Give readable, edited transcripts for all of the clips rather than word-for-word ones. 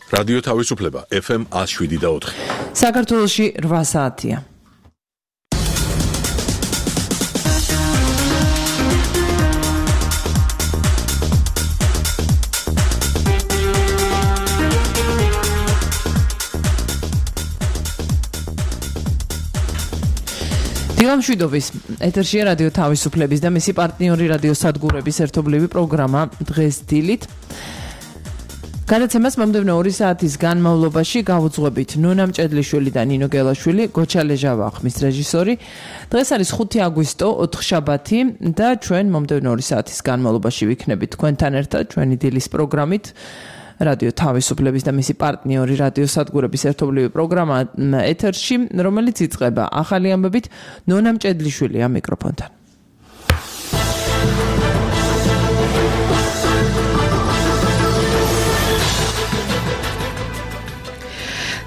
რადიო თავისუფლება FM 107.4. საქართველოში 8 საათია. დილამშვიდობის ეთერშია რადიო თავისუფლების და მისი პარტნიორი რადიო სადგურების ერთობლივი პროგრამა დღეს დილით. გადაცემას მომდევნო 2 საათის განმავლობაში გავუძღვებით ნონა მჭედლიშვილი და ნინო გელაშვილი, გოჩა ლეჟავა ხმის რეჟისორი. დღეს არის 5 აგვისტო, 4-შაბათი და ჩვენ მომდევნო 2 საათის განმავლობაში ვიქნებით თქვენთან ერთად ჩვენი დილის პროგრამით. რადიო თავისუფლების და მისი პარტნიორი რადიო სადგურების ერთობლივი პროგრამა ეთერში, რომელიც იწყება ახალი ამბებით ნონა მჭედლიშვილია მიკროფონთან.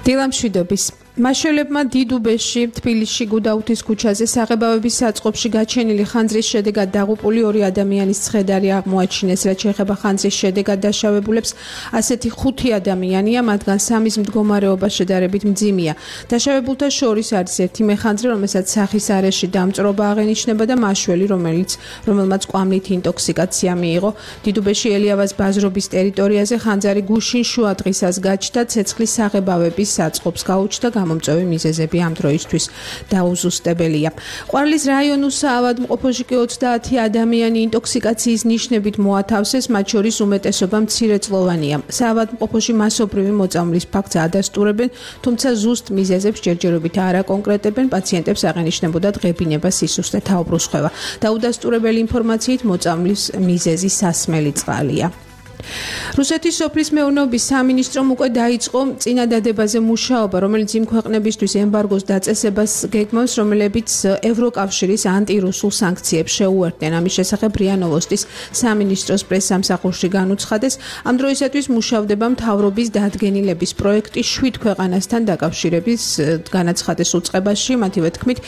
დილამშვიდობის მაშველებმა დიდუბეში, თბილისში, გუდაუთის ქუჩაზე საღებავების საწყობში გაჩენილი ხანძრის შედეგად დაღუპული 2 ადამიანის ცხედარი აღმოაჩინეს, რაც შეეხება ხანძრის შედეგად დაშავებულებს. ასეთი 5 ადამიანია, მათგან 3-ის მდგომარეობა შედარებით მძიმეა. დაშავებულთა შორის არის ერთი მეხანძრი, რომელსაც სახის არეში დამწვრობა აღენიშნება და მაშველი, რომელმაც კვამლით ინტოქსიკაცია მიიღო. დიდუბეში ელიავას ბაზრობის ტერიტორიაზე ხანძარი გუშინ შუა დღისას გაჩნდა, ცეცხლის საღებავების საწყობს გაუჩნდა. გამომწვევი მიზეზები ამ დროისთვის დაუზუსტებელია. ყვარლის რაიონის საავადმყოფოში კი 30 ადამიანი ინტოქსიკაციის ნიშნებით მოათავსეს, მათ შორის უმეტესობა მცირეწლოვანია. საავადმყოფოში მასობრივი მოწამვლის ფაქტს ადასტურებენ, თუმცა ზუსტ მიზეზებს ჯერჯერობით არ აკონკრეტებენ, პაციენტებს აღენიშნებოდა დღებინება, სისუსტე, თაუბრუსხვევა. დაუდასტურებელი ინფორმაციით მოწამვლის მიზეზი სასმელი წყალია. რუსეთის სოფლის მეურნეობის სამინისტრომ უკვე დაიწყო წინადადებაზე მუშაობა, რომელიც იმ ქვეყნებისთვის ემბარგოს დაწესებას გეგმავს, რომლებიც ევროკავშირის ანტირუსულ სანქციებს შეუერთდნენ. ამის შესახებ РИА Новостის სამინისტროს პრესსამსახურში განუცხადეს, ამ დროისათვის მუშავდება მთავრობის დადგენილების პროექტი 7 ქვეყანასთან დაკავშირების განაცხადეს უწყებაში, მათივე თქმით,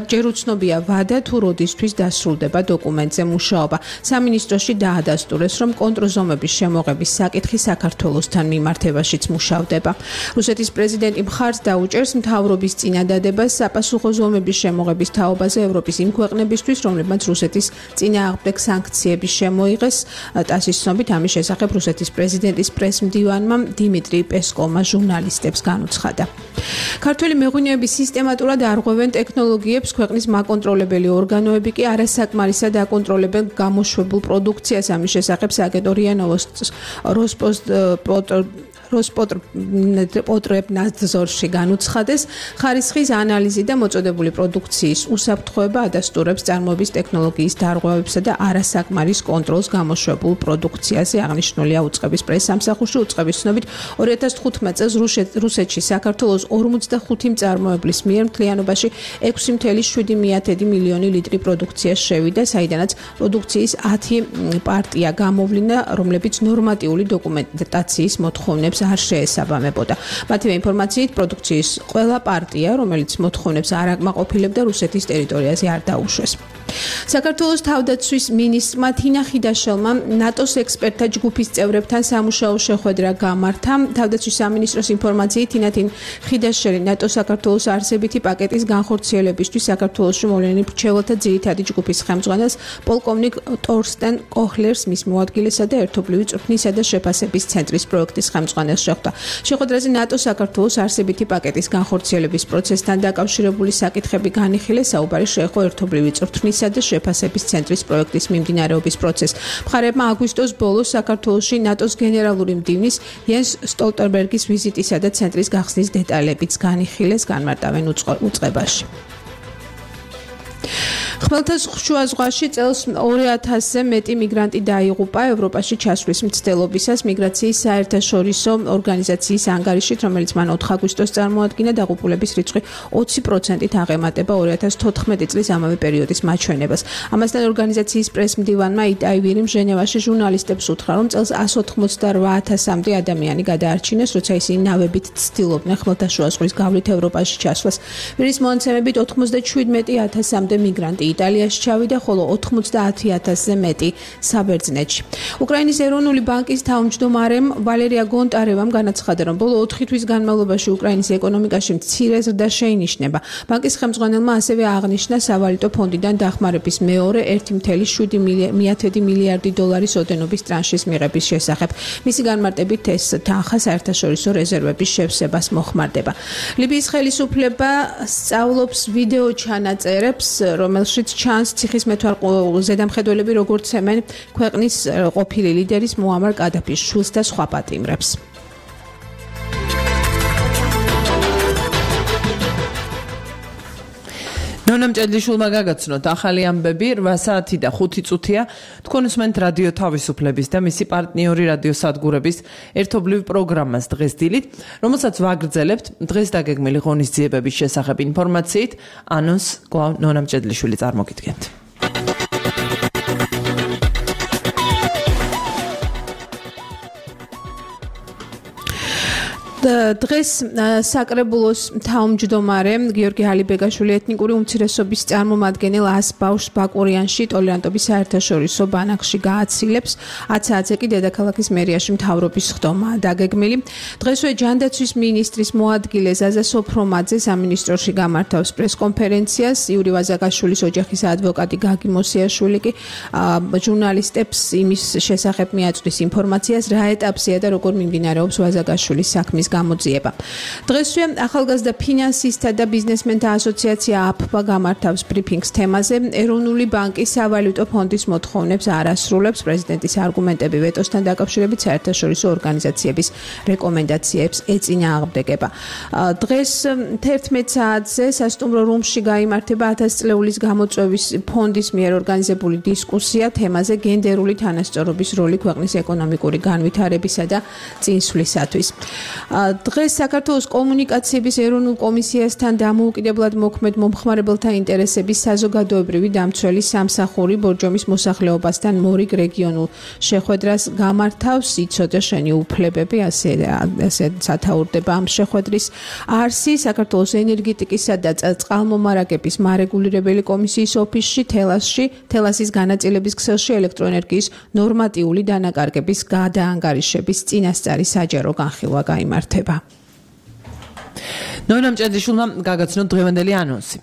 ჯერ უცნობია ვადა თუ როდისთვის დასრულდება დოკუმენტზე მუშაობა. სამინისტროში დაადასტურეს, რომ კონტრზომების შემოღების საკითხი საქართველოსთან მიმართებაშიც მუშავდება. რუსეთის პრეზიდენტი მხარს დაუჭერს მთავრობის წინადადებას საპასუხო ზომების შემოღების თაობაზე ევროპის იმ ქვეყნებისთვის, რომლებმაც რუსეთის წინააღმდეგ სანქციები შემოიღეს. ტასის ცნობით ამის შესახებ რუსეთის პრეზიდენტის პრესმდივანმა დიმიტრი პესკოვმა ჟურნალისტებს განუცხადა. ქართველი მეღვინეები სისტემატურად არღვევენ ტექნოლოგიებს, ქვეყნის მაკონტროლებელი ორგანოები კი არასაკმარისად აკონტროლებენ გამოშვებულ პროდუქციას. ამის შესახებ სააგენტო РИА Новостის როსპოტრებნადზორში განუცხადეს, ხარისხის ანალიზი და მოწოდებული პროდუქციის უსაფრთხოება ადასტურებს წარმოების ტექნოლოგიის დარღვევებსა და არასაკმარის კონტროლს გამოშვებულ პროდუქციაზე. აღნიშნულია უწყების პრესსამსახურში. უწყების ცნობით 2015 წელს რუსეთში საქართველოს 45 მწარმოებლის მიერ მთლიანობაში 6,7 მილიონი ლიტრი პროდუქცია შევიდა, საიდანაც პროდუქციის 10 პარტია გამოვლინდა, რომლებიც ნორმატიული დოკუმენტაციის მოთხოვნებს არ შეესაბამებოდა. მათივე ინფორმაციით, პროდუქციის ყველა პარტია, რომელიც მოთხოვნებს არ აკმაყოფილებდა, რუსეთის ტერიტორიაზე არ დაუშვეს. საქართველოს თავდაცვის მინისტრმა თინა ხიდაშელმა ნატოს ექსპერტთა ჯგუფის წევრებთან სამუშაო შეხვედრა გამართა. თავდაცვის სამინისტროს ინფორმაციით, თინა ხიდაშელი ნატო-საქართველოს არსებითი პაკეტის განხორციელებისთვის საქართველოში მოვლენილ მრჩეველთა ძირითადი ჯგუფის ხელმძღვანელს პოლკოვნიკ ტორსტენ კოჰლერს, მის მოადგილესა და ერთობლივი წვრთნისა და შეფასების ცენტრის პროექტის ხელმძღვანელს შეხვდა. შეხვედრაზე ნატო-საქართველოს არსებითი პაკეტის განხორციელების პროცესთან დაკავშირებული საკითხები განიხილეს. საუბარი შეეხო ერთობლივი წვრთნის და შეფასების ცენტრის პროექტის მიმდინარეობის პროცესს. მხარეებმა აგვისტოს ბოლოს საქართველოში ნატოს გენერალური მდივნის იენს სტოლტენბერგის ვიზიტისა და ცენტრის გახსნის დეტალებიც განიხილეს განმარტავენ უწყებაში. ხმელთაშუა ზღვაში წელს 2000-ზე მეტი მიგრანტი დაიღუპა ევროპაში ჩასვლის მცდელობისას მიგრაციის საერთაშორისო ორგანიზაციის ანგარიშით, რომელიც მან 4 აგვისტოს წარმოადგინა. დაღუპულების რიცხვი 20%-ით აღემატება 2014 წლის ამავე პერიოდის მაჩვენებას. ამასთან ორგანიზაციის პრესმდივანმა იტაი ვირიმ ჟენევაში ჟურნალისტებს უთხრა, რომ წელს 188,000-მდე ადამიანი გადაარჩინეს, როცა ისინი ნავებით ცდილობდნენ ხმელთაშუა ზღვის გავლით ევროპაში ჩასვლას. ვირის მონაცემებით 97,000-მდე მიგრანტი იტალიაში ჩავიდა, ხოლო 90,000-ზე მეტი საბერძნეთში. უკრაინის ეროვნული ბანკის თავმჯდომარემ ვალერია გონტარევამ განაცხადა, რომ ბოლო 4 თვის განმავლობაში უკრაინის ეკონომიკაში მცირე ზრდა შეინიშნება. ბანკის ხელმძღვანელმა ასევე აღნიშნა სავალუტო ფონდიდან დახმარების მეორე 1,7 მილიარდი დოლარის ოდენობის ტრანშის მიღების შესახებ. მისი განმარტებით ეს თანხა საერთაშორისო რეზერვების შევსებას მოხმარდება. ლიბიის ხელისუფლება სწავლობს ვიდეო ჩანაწერებს, რომელშიც ჩანს ციხის ზედამხედველები როგორც ემენ ქვეყნის ყოფილი ლიდერის მუამარ კადაფის შვილს და სხვა პატიმრებს. ნონამ ჭედლიშვილმა გაგაცნოთ ახალი ამბები 8 საათი და 5 წუთია თქვენ უსმენთ რადიო თავისუფლების და მისი პარტნიორი რადიო სადგურების ერთობლივ პროგრამას დღეს დილით, რომელსაც ვაგრძელებთ დღეს დაგეგმილი ღონისძიებების შესახებ ინფორმაციით. ანონს კვლავ ნონამ ჭედლიშვილი წარმოგიდგენთ. დღეს საკრებულოს თავმჯდომარე გიორგი ალიბეგაშვილი ეთნიკური უმცირესობის წარმომადგენელ 100 ბავშვს ბაკურიანში ტოლერანტობის საერთაშორისო ბანაკში გააცილებს. 10 საათზე კი დედაქალაქის მერიაში მთავრობის ხდომაა დაგეგმილი. დღესვე ჯანდაცვის მინისტრის მოადგილე ზაზა სოფრომაძე სამინისტროში გამართავს პრესკონფერენციას. იური ვაზაგაშვილის ოჯახის ადვოკატი გაგი მოსიაშვილი კი ჟურნალისტებს იმის შესახებ მიაწვდის ინფორმაციას, რა ეტაპზეა და როგორ მიმდინარეობს ვაზაგაშვილის საქმის გამოძიება. დღესვე ახალგაზრდა ფინანსისტთა და ბიზნესმენთა ასოციაცია აფბა გამართავს ბრიფინგს თემაზე. ეროვნული ბანკის სავალუტო ფონდის მოთხოვნებს არ ასრულებს. პრეზიდენტის არგუმენტები ვეტოსთან დაკავშირებით საერთაშორისო ორგანიზაციების რეკომენდაციებს ეწინააღმდეგება. დღეს 11 საათზე სასტუმრო რუმში გაიმართება 1000 წლეულის გამოწვევის ფონდის მიერ ორგანიზებული დისკუსია თემაზე გენდერული თანასწორობის როლი ქვეყნის ეკონომიკური განვითარებისა და წინსვლისათვის. დღეს საქართველოს კომუნიკაციების ეროვნულ კომისიასთან დამოუკიდებლად მოქმედ მომხმარებელთა ინტერესების საზოგადოებრივი დამცველი სამსახური ბორჯომის მოსახლეობასთან მორიგ რეგიონულ შეხვედრას გამართავს. იცოდე შენი უფლებები, ასე სათაურდება ამ შეხვედრის არსი. საქართველოს ენერგეტიკისა და წყალმომარაგების მარეგულირებელი კომისიის ოფისში თელასის განაწილების ქსელში ელექტროენერგიის ნორმატიული დანაკარგების გადაანგარიშების წინასწარი საჯარო განხილვა გაიმართება. ნონამ ჭედლიშვილმა გაგაცნოთ დღევანდელი ანონსი.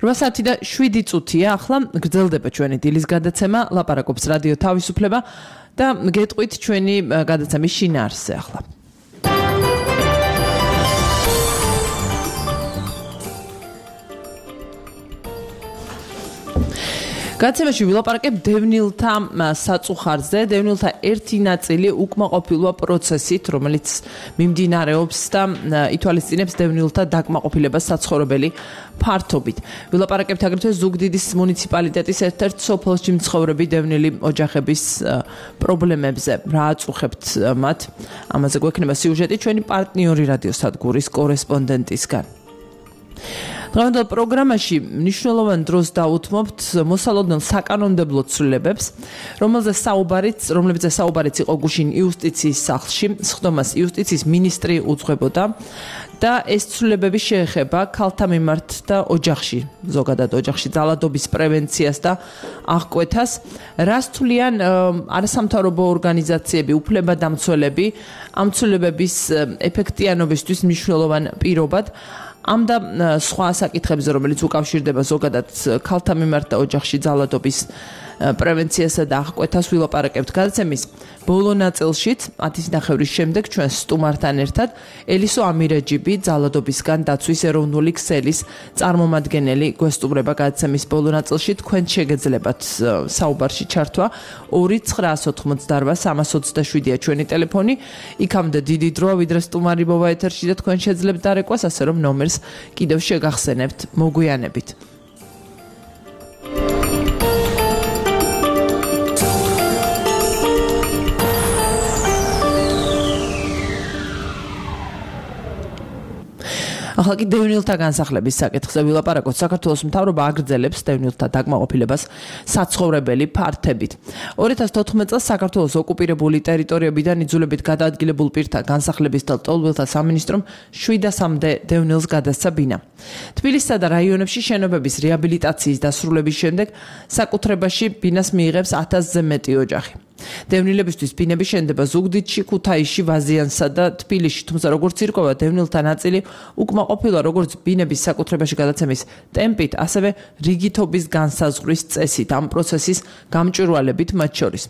8 საათი და 7 წუთია ახლა გრძელდება ჩვენი დილის გადაცემა, ლაპარაკობს რადიო თავისუფლება და გეტყვით ჩვენი გადაცემის შინაარსზე ახლა. გადაცემაში ვილაპარაკებ დევნილთა საწუხარზე. დევნილთა ერთი ნაწილი უკმაყოფილვა პროცესით, რომელიც მიმდინარეობს და ითვალისწინებს დევნილთა დაკმაყოფილებას საცხოვრებელი ფართობით. ვილაპარაკებთ აგრეთვე ზუგდიდის მუნიციპალიტეტის ერთ-ერთ სოფელში მცხოვრები დევნილი ოჯახების პრობლემებზე. რა აწუხებთ მათ? ამაზე გვექნება სიუჟეტი ჩვენი პარტნიორი რადიო სადგურის კორესპონდენტისგან. დღევანდელ პროგრამაში მნიშვნელოვან დროს დაუთმობთ მოსალოდნელ საკანონმდებლო ცვლილებებს, რომლებზეც საუბარიც იყო გუშინ იუსტიციის სახლში. სხდომას იუსტიციის მინისტრი უძღვებოდა და ეს ცვლილებები შეეხება ქალთა მიმართ და ოჯახში, ზოგადად ოჯახში ძალადობის პრევენციას და აღკვეთას. რას თვლიან არასამთავრობო ორგანიზაციები, უფლებადამცველები ამ ცვლილებების ეფექტიანობისთვის მნიშვნელოვან პირობად? ამ და სხვა საკითხებზე, რომელიც უკავშირდება ზოგადად ქალთა მიმართ და ოჯახში ძალადობის პრევენციასა და აღკვეთას ვილაპარაკებთ გადაცემის ბოლო ნაწილშიც 10:30 შემდეგ ჩვენ სტუმართან ერთად ელისო ამირეჯიბი ძალადობისგან დაცვის ეროვნული ქსელის წარმომადგენელი გვესტუმრება გადაცემის ბოლო ნაწილში. თქვენ შეგეძლებათ საუბარში ჩართვა 2-988-327-ია ჩვენი ტელეფონი. იქამდე დიდი დროა ვიდრე სტუმარი მოვა ეთერში და თქვენ შეძლებთ დარეკვას, ასე რომ ნომერს კიდევ შეგახსენებთ, მოგვიანებით. ახლა კი დევნილთა განსახლების საკითხზე ვილაპარაკოთ. საქართველოს მთავრობა აგრძელებს დევნილთა დაკმაყოფილებას საცხოვრებელი ფართებით. 2014 წელს საქართველოს ოკუპირებული ტერიტორიებიდან იძულებით გადაადგილებულ პირთა განსახლების და ლტოლვილთა სამინისტრომ 700-მდე დევნილს გადასცა ბინა. თბილისსა და რაიონებში შენობების რეაბილიტაციის დასრულების შემდეგ საკუთრებაში ბინას მიიღებს 1000-ზე მეტი ოჯახი. დევნილებისთვის ბინები შენდება ზუგდიდში, ქუთაისში, ვაზიანსა და თბილისში, თუმცა როგორც ირკვევა, დევნილთა ნაწილი უკმაყოფილოა როგორც ბინების საკუთრებაში გადაცემის ტემპით, ასევე რიგითობის განსაზღვრის წესით, ამ პროცესის გამჭვირვალებით მათ შორის.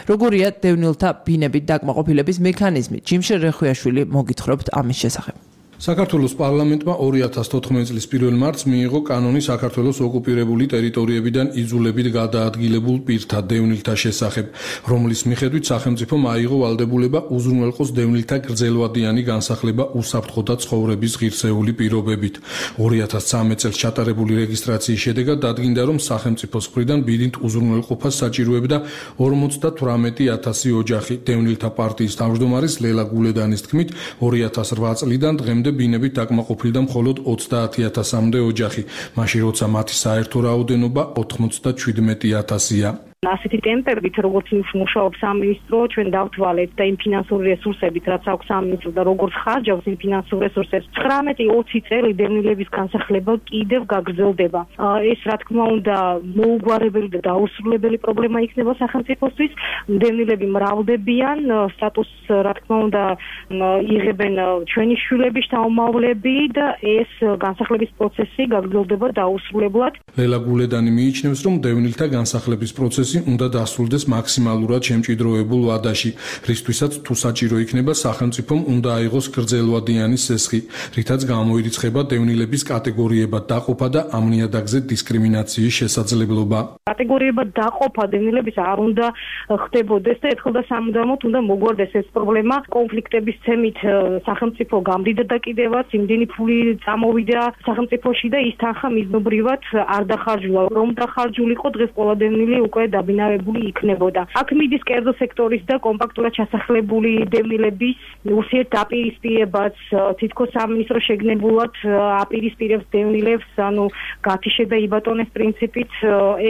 როგორია დევნილთა ბინებით დაკმაყოფილების მექანიზმი? ჯიმშერ რეხუიაშვილი მოგითხრობთ ამის შესახებ. საქართველოს პარლამენტმა 2014 წლის 1 მარტს მიიღო კანონი საქართველოს ოკუპირებული ტერიტორიებიდან იძულებით გადაადგილებულ პირთა დევნილთა შესახებ, რომლის მიხედვით სახელმწიფომ აიღო ვალდებულება უზრუნველყოს დევნილთა გრძელვადიანი განსახლება უსაფრთხო ცხოვრების ღირსეული პირობებით. 2013 წელს ჩატარებული რეგისტრაციის შედეგად დადგინდა, რომ სახელმწიფოს მხრიდან ბინით უზრუნველყოფას საჭიროებდა 58,000 ოჯახი. დევნილთა პარტიის თავმჯდომარის ლელა გულედანის თქმით, 2008 წლიდან დღემდე ბინებით დაკმაყოფილდა მხოლოდ 30,000-მდე ოჯახი, მაშინ როცა მათი საერთო რაოდენობა 97,000-ია. ასეთი ტემპებით, როგორც მუშაობს სამინისტრო, ჩვენ დავთვალეთ და იმ ფინანსური რესურსებით, რაც აქვს სამინისტრო და როგორც ხარჯავს იმ ფინანსურ რესურსებს, 19-20 წელი დევნილების განსახლება კიდევ გაგრძელდება. ეს რა თქმა უნდა მოუგვარებელი და დაუსრულებელი პრობლემა იქნება სახელმწიფოსთვის. დევნილები მრავლდებიან, სტატუსს რა თქმა უნდა იღებენ ჩვენი შვილები, შთამომავლები და ეს განსახლების პროცესი გაგრძელდება დაუსრულებლად. ლელა გულედანი მიიჩნევს, რომ დევნილთა განსახლების პროცესი უნდა დასრულდეს მაქსიმალურად შემჭიდროებულ ვადაში, რისთვისაც თუ საჭირო იქნება სახელმწიფომ უნდა აიღოს გრძელვადიანი სესხი, რითაც გამოირიცხება დევნილების კატეგორიებად დაყოფა და ამ ნიადაგზე დისკრიმინაციის შესაძლებლობა. კატეგორიებად დაყოფა დევნილების არ უნდა ხდებოდეს და ერთხელ და სამუდამოდ უნდა მოგვარდეს ეს პრობლემა. კონფლიქტების ცემით სახელმწიფო გამდიდა და კიდევაც იმდენი ფული წამოვიდა სახელმწიფოში და ის თანხა მიზნობრივად არ დახარჯულა. რომ დახარჯულიყო, დღეს ყველა დევნილი უკვე დაბინავებული იქნებოდა. აქ მიდის კერძო სექტორის და კომპაქტურად ჩასახლებული დევნილების ურთიერთდაპირისპირებაც, თითქოს სამინისტრო შეგნებულად აპირისპირებს დევნილებს, ანუ გათიშე და იბატონეს პრინციპით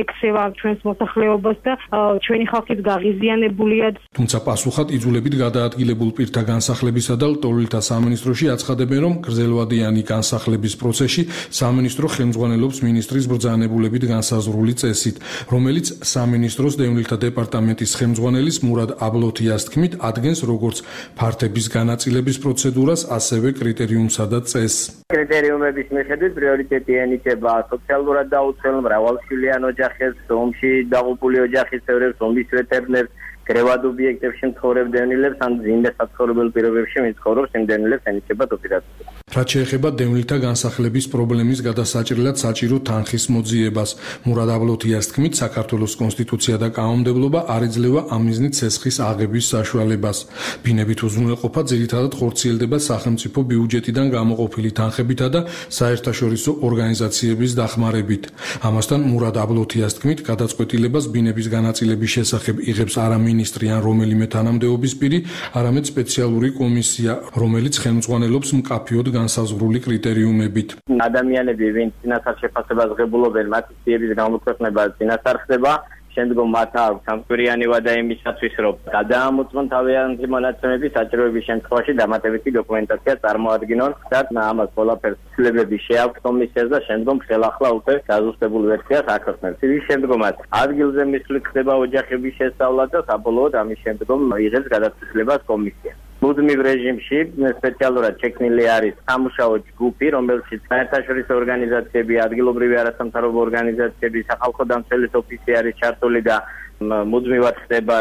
ექცევა ჩვენს მოსახლეობას და ჩვენი ხალხიც გაღიზიანებულია. თუმცა პასუხად იძულებით გადაადგილებულ პირთა განსახლებისა და ლტოლვილთა სამინისტროში აცხადებენ, რომ გრძელვადიანი განსახლების პროცესში სამინისტრო ხელმძღვანელობს მინისტრის ბრძანებულებით განსაზღვრული წესით, რომელიც სამინისტროს დევნილთა დეპარტამენტის ხელმძღვანელის მურად აბლოთიას თქმით ადგენს როგორც ფართების განაწილების პროცედურას, ასევე კრიტერიუმსა და წესს. კრიტერიუმების მიხედვით პრიორიტეტი ენიჭება სოციალურად დაუცველ მრავალშვილიან ოჯახებს, ომში დაღუპული ოჯახის წევრებს, ომის ვეტერნებს, კრევად ობიექტებში მცხოვრებ დევნილებს, ან ზინდა საცხოვრებელ პირობებში მიცხოვრობს იმ დევნილებს ენიჭება ოპერაცია. რაც შეეხება დევნილთა განსახლების პრობლემის გადასაჭრელად საჭირო თანხის მოძიებას, მურად აბლოთიას თქმით, საქართველოს კონსტიტუცია და კანონმდებლობა არ იძლევა ამ მიზნით სესხის აღების საშუალებას. ბინებით უზრუნველყოფა ძირითადად ხორციელდება სახელმწიფო ბიუჯეტიდან გამოყოფილი თანხებითა და საერთაშორისო ორგანიზაციების დახმარებით. ამასთან მურად აბლოთიას თქმით, გადაწყვეტილებას ბინების განაწილების შესახებ იღებს არა მინისტრი ან რომელიმე თანამდებობის პირი, არამედ სპეციალური კომისია, რომელიც ხელმძღვანელობს მკაფიოდ განსაზღვრული კრიტერიუმებით. ადამიანები, ვინც წინასწარ შეფასებას ღებულობენ, მათი სიების გამოქვეყნება წინასწარ ხდება, შემდგომ მათ აქვს სამკვირიანი ვადა იმისათვის, რომ გადაამოწმონ თავიანთი მონაცემები, საჭიროების შემთხვევაში დამატებითი დოკუმენტაცია წარმოადგინონ და ამას ყველაფერს ცვლილებები შეაქვთ კომისიას და შემდგომ ხელახლა უკვე გაზუსტებულ ვერსიას აქვეყნებს. ის შემდგომაც ადგილზე მისვლით ხდება ოჯახების შესწავლა და საბოლოოდ ამის შემდგომ იღებს გადაწყვეტილებას კომისია. მუდმივ რეჟიმში სპეციალურად შექმნილი არის სამუშაო ჯგუფი, რომელშიც საერთაშორისო ორგანიზაციები, ადგილობრივი არასამთავრობო ორგანიზაციები, სახალხო დამცველის ოფისი არის ჩართული და მუდმივად ხდება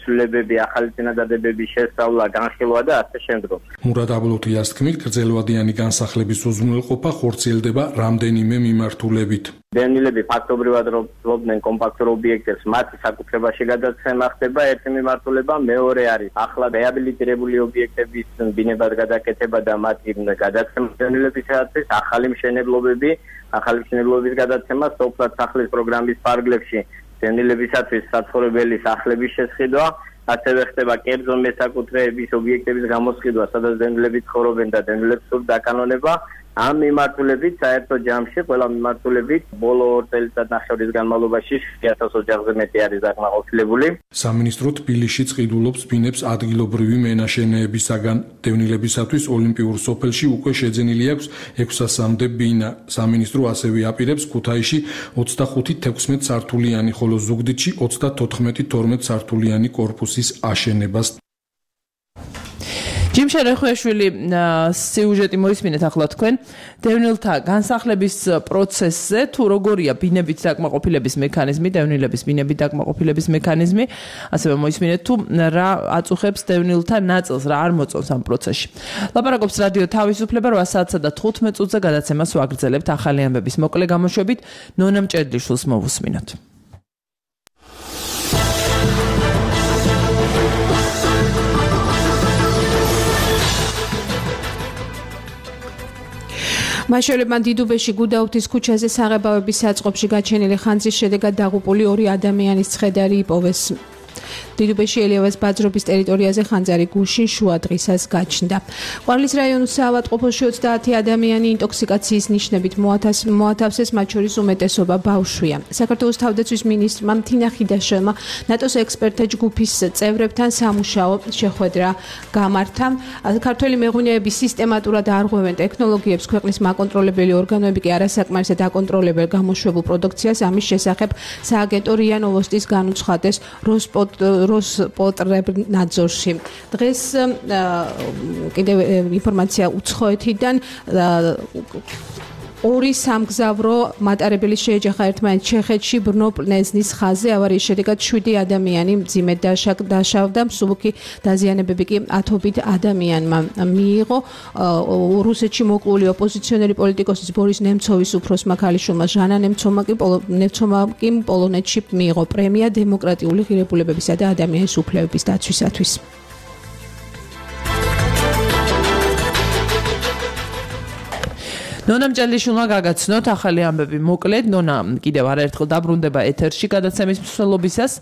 ცვლილებები, ახალი წინადადებების შესწავლა, განხილვა და ასე შემდგომ. მურად აბლოთიას თქმით, გრძელვადიანი განსახლების უზრუნველყოფა ხორციელდება რამდენიმე მიმართულებით. დევნილები ფაქტობრივად ფლობდნენ კომპაქტურ ობიექტებს, მათი საკუთრებაში გადაცემა ხდება ერთი მიმართულება, მეორე არის ახლა რეაბილიტირებული ობიექტების ბინებად გადაკეთება და მათი გადაცემა დევნილებისათვის, ახალი მშენებლობების გადაცემა სოფლად სახლის პროგრამის ფარგლებში, დევნილებისათვის საცხოვრებელი სახლების შესყიდვა, ასევე ხდება კერძო მესაკუთრეების ობიექტების გამოსყიდვა, სადაც დევნილები ცხოვრობენ და დევნილებს სურთ დაკანონება. ამ მიმართულებით საერთო ჯამში ყველა მიმართულებით ბოლო 2 წელიწადნახევრის განმავლობაში 1000 ოჯახზე მეტი არის დაკმაყოფილებული. სამინისტრო თბილისში წყიდულობს ბინებს ადგილობრივი მენაშენეებისაგან. დევნილებისათვის ოლიმპიურ სოფელში უკვე შეძენილი აქვს 600-მდე ბინა. სამინისტრო ასევე აპირებს ქუთაისში 25-16 სართულიანი, ხოლო ზუგდიდში 34-12 სართულიანი კორპუსის აშენებას. ჯიმშა რეხუაშვილი სიუჟეტი მოისმინეთ ახლა თქვენ დევნილთა განსახლების პროცესზე თუ როგორია ბინებით დაკმაყოფილების მექანიზმი, დევნილების ბინებით დაკმაყოფილების მექანიზმი, ასევე მოისმინეთ თუ რა აწუხებს დევნილთა ნაწილს, რა არ მოწონს ამ პროცესში. ლაპარაკობს რადიო თავისუფლება 8 საათსა და 15 წუთზე გადაცემას ვაგრძელებთ ახალი ამბების მოკლე გამოშვებით. ნონა მჭედლიშვილს მოვუსმინოთ. მაშველებმა დიდუბეში გუდაუთის ქუჩაზე საღებავების საწყობში გაჩენილი ხანძრის შედეგად დაღუპული 2 ადამიანის ცხედარი იპოვეს. დიდუბეში ელიავას ბაძრობის ტერიტორიაზე ხანძარი გუშინ შუა დღისას გაჩნდა. ყვარლის რაიონის საავადმყოფოში 30 ადამიანი ინტოქსიკაციის ნიშნებით მოათავსეს, მათ შორის უმეტესობა ბავშვია. საქართველოს თავდაცვის მინისტრმა თინა ხიდაშელმა ნატოს ექსპერტთა ჯგუფის წევრებთან სამუშაო შეხვედრა გამართა. ქართველი მეღვინეები სისტემატურად არღვევენ ტექნოლოგიებს, ქვეყნის მაკონტროლებელი ორგანოები კი არასაკმარისად აკონტროლებენ გამოშვებულ პროდუქციას. ამის შესახებ სააგენტო რია ნოვოსტის განუცხადეს როსპოტრებნაძორში. დღეს კიდევ ინფორმაცია უცხოეთიდან 2 სამგზავრო მატარებელი შეეჯახა ერთმანეთს ჩეხეთში ბრნო პლეზნის ხაზზე. ავარიის შედეგად 7 ადამიანი მძიმედ დაშავდა, მსუბუქი დაზიანებები კი 10 ადამიანმა მიიღო. რუსეთში მოკლული ოპოზიციონერი პოლიტიკოსის ბორის ნემცოვის უფროსმა ქალიშვილმა ჟანა ნემცოვმა კი პოლონეთში მიიღო პრემია დემოკრატიული ღირებულებებისა და ადამიანის უფლებების დაცვისათვის. ნონა მჭედლიშვილმა გაგაცნოთ ახალი ამბები მოკლედ. ნონა კიდევ არაერთხელ დაბრუნდება ეთერში გადაცემის მსვლელობისას.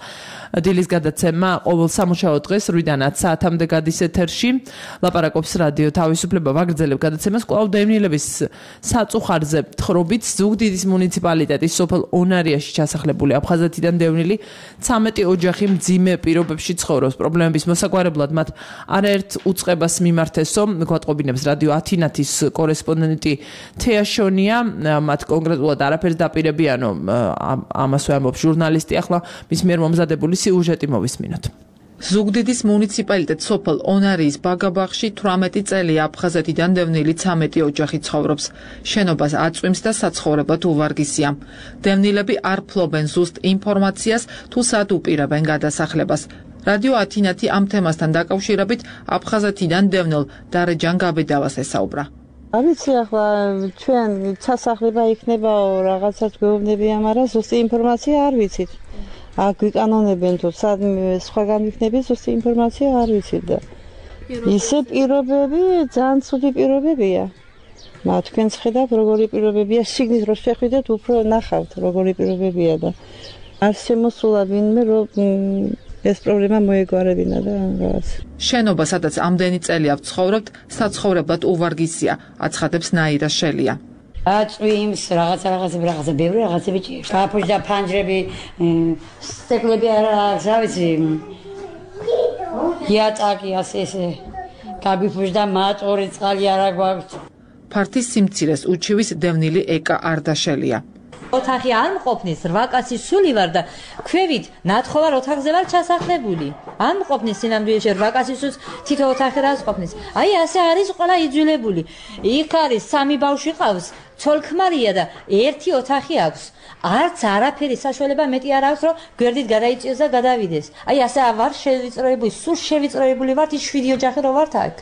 დილის გადაცემა ყოველ სამუშაო დღეს 8-დან 10 საათამდე გადის ეთერში. ლაპარაკობს რადიო თავისუფლება ვაგრძელებ გადაცემას კვლავ დევნილების საწუხარზე თხრობით. ზუგდიდის მუნიციპალიტეტის სოფელ ონარიაში ჩასახლებული აფხაზეთიდან დევნილი 13 ოჯახი მძიმე პირობებში ცხოვრობს. პრობლემების მოსაგვარებლად მათ არაერთ უწყებას მიმართესო, გვატყობინებს რადიო ათინათის კორესპონდენტი თეაშონია. მათ კონკრეტულად არაფერს დაპირებიანო ამას ვამბობს ჟურნალისტი. ახლა მის მიერ მომზადებული სიუჟეტი მოვისმინოთ. ზუგდიდის მუნიციპალიტეტ სოფელ ონარიის ბაგაბაღში 18 წელია აფხაზეთიდან დევნილი 13 ოჯახი ცხოვრობს. შენობას აწვიმს და საცხოვრებლად უვარგისია. დევნილები არ ფლობენ ზუსტ ინფორმაციას თუ სად უპირებენ გადასახლებას. რადიო ათინათი ამ თემასთან დაკავშირებით აფხაზეთიდან დევნილ დარეჯან გაბედავას ესაუბრა. არ ვიცი ახლა ჩვენ ჩასახლება იქნებაო რაღაცას გვეუბნებიან, მაგრამ ზუსტი ინფორმაცია არ ვიცით. გვიკანონებენ თუ სად სხვაგან იქნები ზუსტი ინფორმაცია არ ვიცით და ისე პირობები ძალიან ცუდი პირობებია. თქვენ ხედავთ როგორი პირობებია, შიგნით რო შეხვიდეთ უფრო ნახავთ როგორი პირობებია და არ შემოსულა ვინმე რომ ეს პრობლემა მოეგვარებინა და რაღაც. შენობა, სადაც ამდენი წელია ვცხოვრობთ, საცხოვრებლად უვარგისია, აცხადებს ნაირა შელია. აწვიმს რაღაცა ბევრი რაღაცები ჭირს. კაფუში და ფანჯრები, სტეკლები არა ვიცი. იატაკი ასე კაბიფუში და მაწორი წყალი არა გვაქვს. ფართის სიმცირეს უჩივის დევნილი ეკა არდაშელია. ოთახი არ მყოფნის 8 კაცი სული ვარ და ქვევით ნათხოვარ ოთახზე ვარ ჩასახლებული. არ მყოფნის სინამდვილეში 8 კაცი სულს თითო ოთახი რას ყოფნის. აი ასე არის ყველა იძულებული. იქ არის 3 ბავშვი ყავს, ცოლ-ქმარია და 1 ოთახი აქვს. არც არაფერი საშუალება მეტი არ აქვს, რომ გვერდით გადაიწიოს და გადავიდეს. აი ასე ვარ შევიწროებული, სულ შევიწროებული ვარ, ის 7 ოჯახი რო ვართ აქ.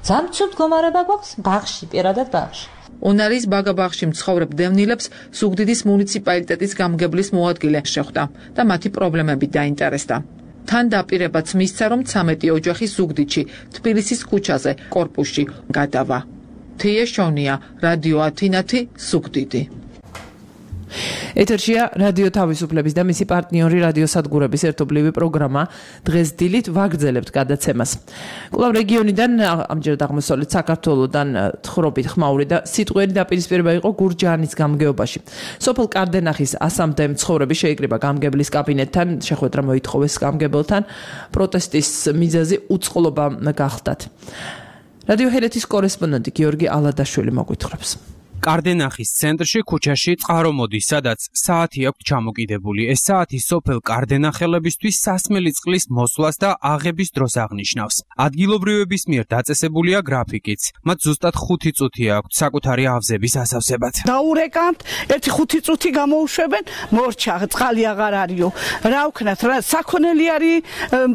ძამცუთ გომარება გვაქვს ბაღში, პირადად ბაღში. ონარის ბაგაბაღში მცხოვრებ დევნილებს ზუგდიდის მუნიციპალიტეტის გამგებლის მოადგილე შეხვდა და მათი პრობლემები დაინტერესდა. თან დაპირებაც მისცა, რომ 13 ოჯახი ზუგდიდში, თბილისის ქუჩაზე, კორპუსში გადავა. თეაშონია, რადიო ათინათი, ზუგდიდი. ეთერშია რადიო თავისუფლების და მისი პარტნიორი რადიოსადგურების ერთობლივი პროგრამა დღეს დილით ვაგრძელებთ გადაცემას. კვლავ რეგიონიდან ამჯერად აღმოსავლეთ საქართველოდან თხრობით ხმაური და სიტყვიერი დაპირისპირება იყო გურჯაანის გამგეობაში. სოფელ კარდენახის ასამდე მცხოვრები შეიკრიბა გამგებლის კაბინეტთან, შეხვედრა მოითხოვეს გამგებელთან, პროტესტის მიზეზი უწყლობა გახდათ. რადიო ჰერეთის კორესპონდენტი გიორგი ალადაშვილი მოგვითხრობს. კარდენახის ცენტრში ქუჩაში წყარო მოდის, სადაც საათი აქვს ჩამოკიდებული. ეს საათი სოფელ კარდენახელებისთვის სასმელი წყლის მოსვლას და აღების დროს აღნიშნავს. ადგილობრივების მიერ დაწესებულია გრაფიკიც. მათ ზუსტად 5 წუთი აქვს საკუთარი ავზების ასავსებად. დაურეკამთ, 1-5 წუთი გამოუშვებენ, მორჩა, წყალი აღარ არისო. რა ვქნათ, რა საქონელი არის,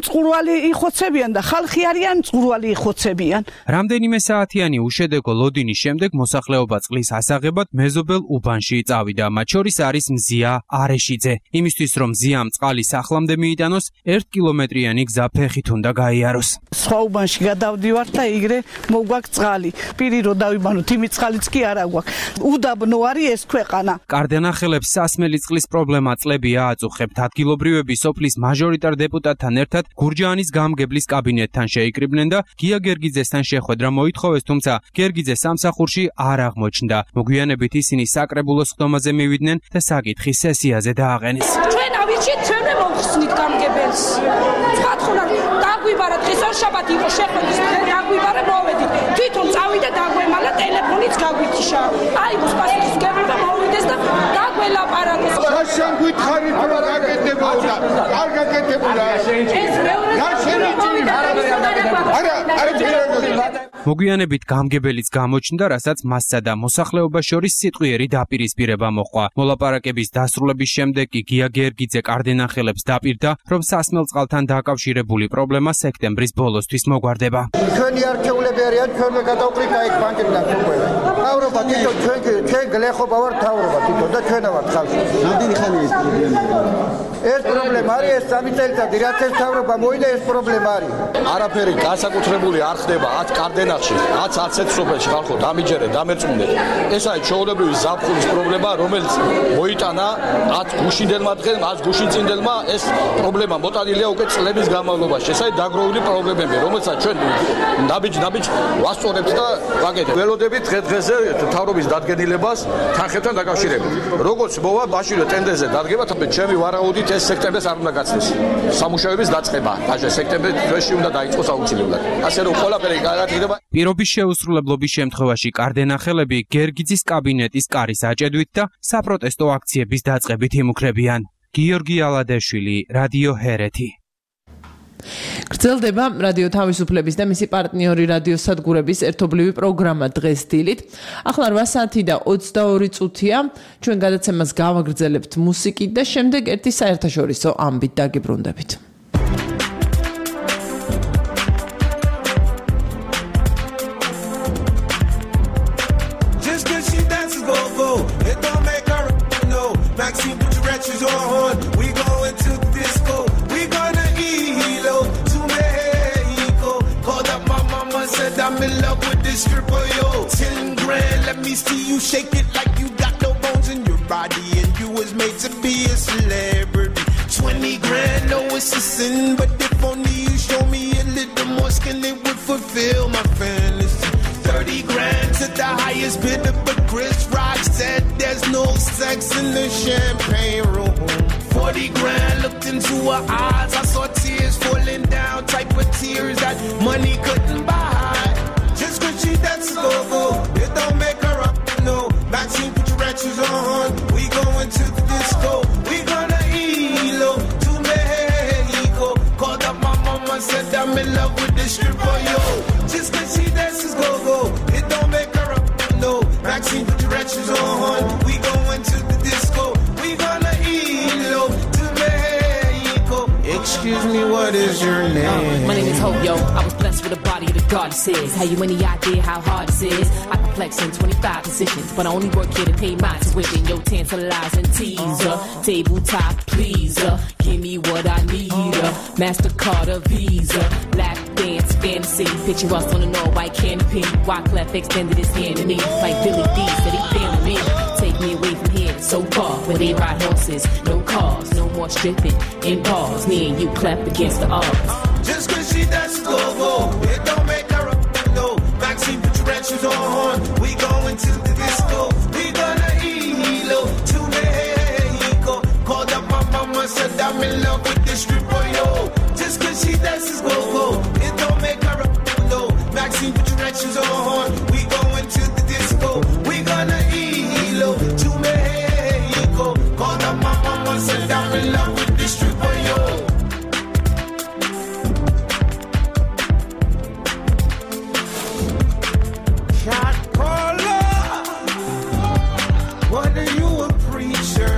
მწყურვალი იხოცებიან და ხალხი არიან, მწყურვალი იხოცებიან. რამდენიმე საათიანი უშედეგო ლოდინის შემდეგ მოსახლეობა წყლის ასაღებად მეზობელ უბანში წავიდა. მათ შორის არის მზია არეშიძე. იმისთვის რომ მზიამ წყალი სახლამდე მიიტანოს, 1 კილომეტრიანი გზა ფეხით უნდა გაიაროს. სხვა უბანში გადავდივართ და იგრე მოგვაქვს წყალი. პირი რო დავიბანოთ, იმით წყალიც კი არა გვაქვს. უდაბნო არის ეს ქვეყანა. კარდენახელებს სასმელი წყლის პრობლემა წლებია აწუხებთ. ადგილობრივები სოფლის მაჟორიტარ დეპუტატთან ერთად გურჯაანის გამგებლის კაბინეტთან შეიკრიბნენ და გია გერგიძესთან შეხვედრა მოითხოვეს, თუმცა გერგიძე სამსახურში არ აღმოჩნდა. მოგვიანებით ისინი საკრებულო სხდომაზე მივიდნენ და საკითხი სესიაზე დააყენეს. ჩვენ ავირჩიეთ, ჩვენ მოვხსნით გამგებელს. ცხადხონა დაგვიბარა დღეს ორშაბათი იყო შეხვედრის დღე, დაგვიბარა მოვედით. თვითონ წავიდა დაგვემალა ტელეფონიც გავვითიშა. აიღოს პასუხისმგებლობა მოვიდეს და დაგველაპარაკოს. შენ გითხარით რომ გაკეთებოდა. არ გაკეთებულა. ეს მეორე მოგვიანებით გამგებელიც გამოჩნდა, რასაც მასსა და მოსახლეობას შორის სიტყვიერი დაპირისპირება მოჰყვა. მოლაპარაკების დასრულების შემდეგ კი გია გერგიძე კარდენახელებს დაპირდა, რომ სასმელ წყალთან დაკავშირებული პრობლემა სექტემბრის ბოლოსთვის მოგვარდება. ჩვენი არქეოლები არიან, ჩვენმა გადავყრით აი ბანკებიდან უკვე. თავრობა თვითონ ჩვენ გლეხობა ვარ თავრობა თვითონ და ჩვენა ვარ ხალხი. რამდენი ხანია ეს პრობლემა? ეს პრობლემა არის ეს 3 წელიწადი, რაც ეს თავრობა მოიდა ეს პრობლემა არის. არაფერი განსაკუთრებული არ ხდება 10 კარდენახში, 10 სოფელში ხალხო დამიჯერეთ, დამერწმუნდეთ. ეს არის ჩვეულებრივი ზაფხულის პრობლემა, რომელიც მოიტანა 10 გუშინდელმა დღემ, 10 გუშინწინდელმა ეს პრობლემა მოტანილია უკვე წლების განმავლობაში. ეს არის დაგროვილი პრობლემები, რომელსაც ჩვენ ნაბიჯ ვასწორებთ და ვაკეთებთ. ველოდებით დღე-დღეზე თავრობის დადგენილებას თანხებთან დაკავშირებით. როგორც მოვა ბაშირო ტენდერზე დადგება, თუმცა ჩემი ვარაუდით ეს სექტემბერს არ უნდა გაცნეს. სამუშაოების დაწყება, ბაშე სექტემბრის თვეში უნდა დაიწყოს აუცილებლად. ასე რომ ყველაფერი კარგად იქნება. პირობის შეუსრულებლობის შემთხვევაში კარდენახელები გერგიძის კაბინეტის კარის აჭედვით და საპროტესტო აქციების დაწყებით იმუქრებიან. გიორგი ალადაშვილი, რადიო ჰერეთი. გრძელდება რადიო თავისუფლების და მისი პარტნიორი რადიოსადგურების ერთობლივი პროგრამა დღეს დილით. ახლა 8 საათი და 22 წუთია. ჩვენ გადაცემას გავაგრძელებთ მუსიკით და შემდეგ ერთი საერთაშორისო ამბით დაგიბრუნდებით. I'm in love with this stripper, yo. 10 grand, let me see you shake it like you got no bones in your body and you was made to be a celebrity. 20 grand, no it's a sin, but if only you show me a little more skin, it would fulfill my fantasy. 30 grand to the highest bidder, but Chris Rock said there's no sex in the champagne room. 40 grand, looked into her eyes, I saw tears falling down, type of tears that money couldn't buy. Just cause she dances go-go, it don't make her up, no. Maxine, put your ratchets on, we going to the disco. We gonna ELO to Mexico. Called up my mama, said I'm in love with this stripper, yo. Just cause she dances go-go, it don't make her up, no. Maxine, put your ratchets on, we going to the disco. We gonna ELO to Mexico. Excuse me, what is your name? My name is Hope, yo. I was blessed with a body of the goddesses. Have you any idea how hard this is? I can flex in 25 positions, but I only work here to pay my tuition. Yo, tantalizing teaser, tabletop pleaser. Give me what I need, MasterCard or Visa. Lap dance fantasy, picture us on an all-white canopy. Wyclef extended his hand to me, like Billy D said he feeling me. Take me away from here, so far where they ride horses. No cars, no more stripping in bars. Me and you clap against the odds. Just cause she does go, it don't make her a no. Maxine, put your red shoes on. We going to the disco. We gonna ELO to Mexico. Called up my mama, said I'm in love with this stripper, yo. Just cause she dances go, it don't make her a no. Maxine, put your red shoes on. We going to the disco. We gonna ELO to Mexico. Called up my mama, said I'm in love with this stripper, yo. Shot caller, what are you a preacher?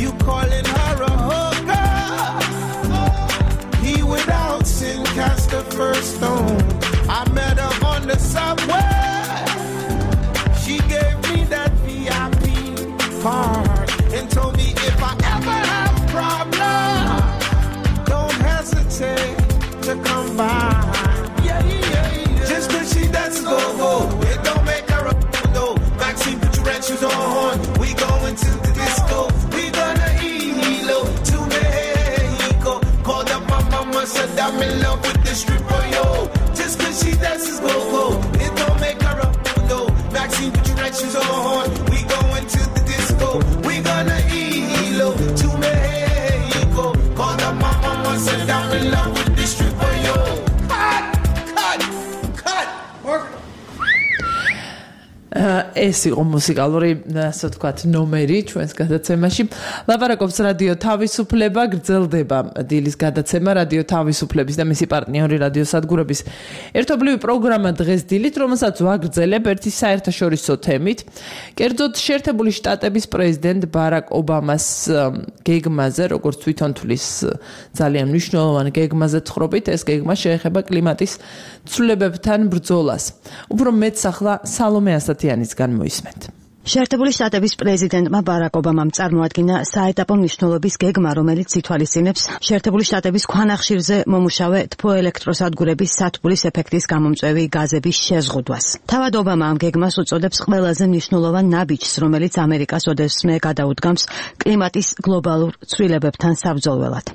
You calling her a hooker? He without sin cast the first stone. I met her on the subway. She gave me that VIP card and told me if I ever have a problem, don't hesitate to come by. Just cause she does go, it don't make her a no. Maxine, put your red shoes on. We going to the disco. We gonna ELO to Mexico. Called up my mama, said I'm in love with this stripper, yo. Just cause she dances go, it don't make her a no. Maxine, put your red shoes on. We going to the disco. We gonna ELO to Mexico. Called up my mama, said I'm in love with this stripper, yo. ეს იყო მუსიკალური, ასე ვთქვათ, ნომერი ჩვენს გადაცემაში. ლაპარაკობს რადიო თავისუფლება, გრძელდება დილის გადაცემა რადიო თავისუფლების და მისი პარტნიორი რადიოსადგურების ერთობლივი პროგრამა დღეს დილით, რომელსაც ვაგრძელებ ერთი საერთაშორისო თემით. კერძოდ შეერთებული შტატების პრეზიდენტ ბარაკ ობამას გეგმაზე, როგორც თვითონ თვლის ძალიან მნიშვნელოვან გეგმაზე თხრობით, ეს გეგმა შეეხება კლიმატის ცვლილებებთან ბრძოლას. უფრო მეტს ახლა სალომე ასათიანისგან მოისმენთ. შეერთებული შტატების პრეზიდენტმა ბარაკ ობამამ წარმოადგინა საეტაპო მნიშვნელობის გეგმა, რომელიც ითვალისწინებს შეერთებული შტატების ქვანახშირზე მომუშავე თბოელექტროსადგურების სათბურის ეფექტის გამომწვევი გაზების შეზღუდვას. თავად ობამა ამ გეგმას უწოდებს ყველაზე მნიშვნელოვან ნაბიჯს, რომელიც ამერიკას ოდესმე გადაუდგამს კლიმატის გლობალურ ცვლილებებთან საბრძოლველად.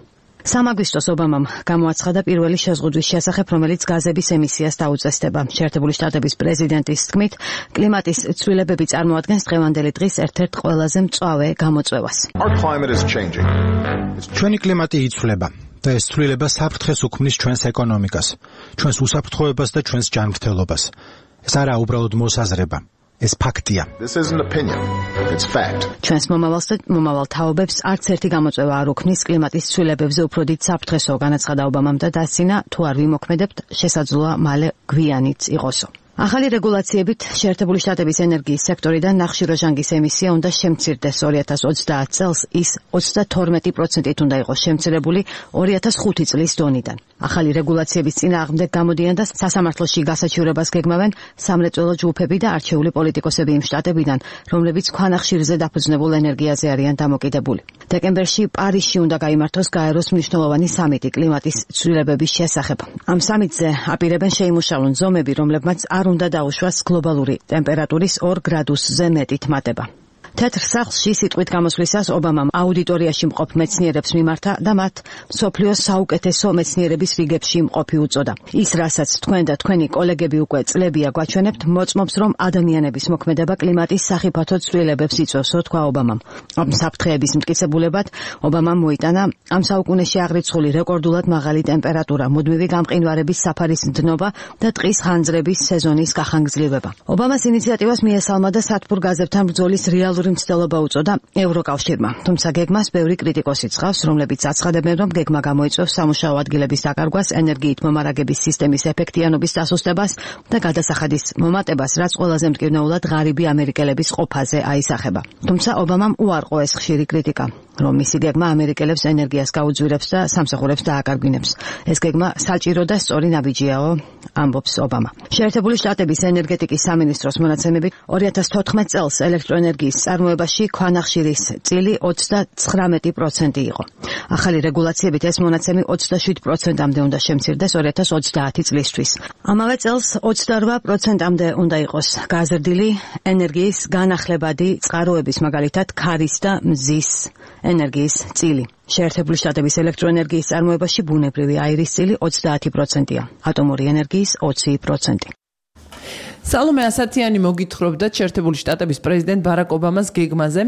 სამაგვისტოს ობამამ გამოაცხადა პირველი შეზღუდვის შესახებ, რომელიც გაზების ემისიას დაუწესდება. შეერთებული შტატების პრეზიდენტის თქმით, კლიმატის ცვლილებები წარმოადგენს დღევანდელი დღის ერთ-ერთ ყველაზე მწვავე გამოწვევას. ჩვენი კლიმატი იცვლება და ეს ცვლილება საფრთხეს უქმნის ჩვენს ეკონომიკას, ჩვენს უსაფრთხოებას და ჩვენს ჯანმრთელობას. ეს არაა უბრალოდ მოსაზრება. ეს ფაქტია. ჩვენს მომავალს და მომავალ თაობებს არც ერთი გამოწვევა არ უქმნის კლიმატის ცვლილებებზე უფრო დიდ საფრთხესო, განაცხადა ობამამ და დასცინა, თუ არ ვიმოქმედებთ, შესაძლოა მალე გვიანიც იყოსო. ახალი რეგულაციებით შეერთებული შტატების ენერგიის სექტორიდან ნახშირორჟანგის ემისია უნდა შემცირდეს 2030 წელს, ის 32%-ით უნდა იყოს შემცირებული 2005 წლის დონიდან. ახალი რეგულაციების წინააღმდეგ გამოდიან და სასამართლოში გასაჩივრებას გეგმავენ სამრეწველო ჯგუფები და არჩეული პოლიტიკოსები იმ შტატებიდან, რომლებიც ქვანახშირზე დაფუძნებულ ენერგიაზე არიან დამოკიდებული. დეკემბერში პარიზში უნდა გაიმართოს გაეროს მნიშვნელოვანი სამიტი კლიმატის ცვლილებების შესახებ. ამ სამიტზე აპირებენ შეიმუშავონ ზომები, რომლებმაც არ უნდა დაუშვას გლობალური ტემპერატურის 2 გრადუსზე მეტით მატება. თეთრ სახლში სიტყვით გამოსვლისას ობამამ აუდიტორიაში მყოფ მეცნიერებს მიმართა და მათ მსოფლიოს საუკეთესო მეცნიერების რიგებში მყოფი უწოდა. ის, რასაც თქვენ და თქვენი კოლეგები უკვე წლებია გვაჩვენებთ, მოწმობს, რომ ადამიანების მოქმედება კლიმატის სახიფათო ცვლილებებს იწვევსო, თქვა ობამამ. ამ საფრთხეების მტკიცებულებად ობამამ მოიტანა ამ საუკუნეში აღრიცხული რეკორდულად მაღალი ტემპერატურა, მუდმივი გამყინვარების საფარის დნობა და ტყის ხანძრების სეზონის გახანგრძლივება. ობამას ინიციატივას მიესალმა და სათბურ გაზებთან ბრძოლის რეალური მცდელობა უწოდა ევროკავშირმა. თუმცა გეგმას ბევრი კრიტიკოსი ცხავს, რომლებიც აცხადებენ, რომ გეგმა გამოიწვევს სამუშაო ადგილების დაკარგვას, ენერგიით მომარაგების სისტემის ეფექტიანობის დასუსტებას და გადასახადის მომატებას, რაც ყველაზე მტკივნეულად ღარიბი ამერიკელების ყოფაზე აისახება. თუმცა ობამამ უარყო ეს ხშირი კრიტიკა. რომ მისი გეგმა ამერიკელებს ენერგიას გაუძვირებს და სამსახურებს დააკარგვინებს. ეს გეგმა საჭირო და სწორი ნაბიჯიაო, ამბობს ობამა. შეერთებული შტატების ენერგეტიკის სამინისტროს მონაცემებით 2014 წელს ელექტროენერგიის წარმოებაში ქვანახშირის წილი 39% იყო. ახალი რეგულაციებით ეს მონაცემი 27%-მდე უნდა შემცირდეს 2030 წლისთვის. ამავე წელს 28%-მდე უნდა იყოს გაზრდილი ენერგიის განახლებადი წყაროების, მაგალითად ქარის და მზის ენერგიის წილი. შეერთებული შტატების ელექტროენერგიის წარმოებაში ბუნებრივი აირის წილი 30%-ია, ატომური ენერგიის 20%. სალომე ასათიანი მოგითხრობდა შეერთებული შტატების პრეზიდენტ ბარაკ ობამას გეგმაზე,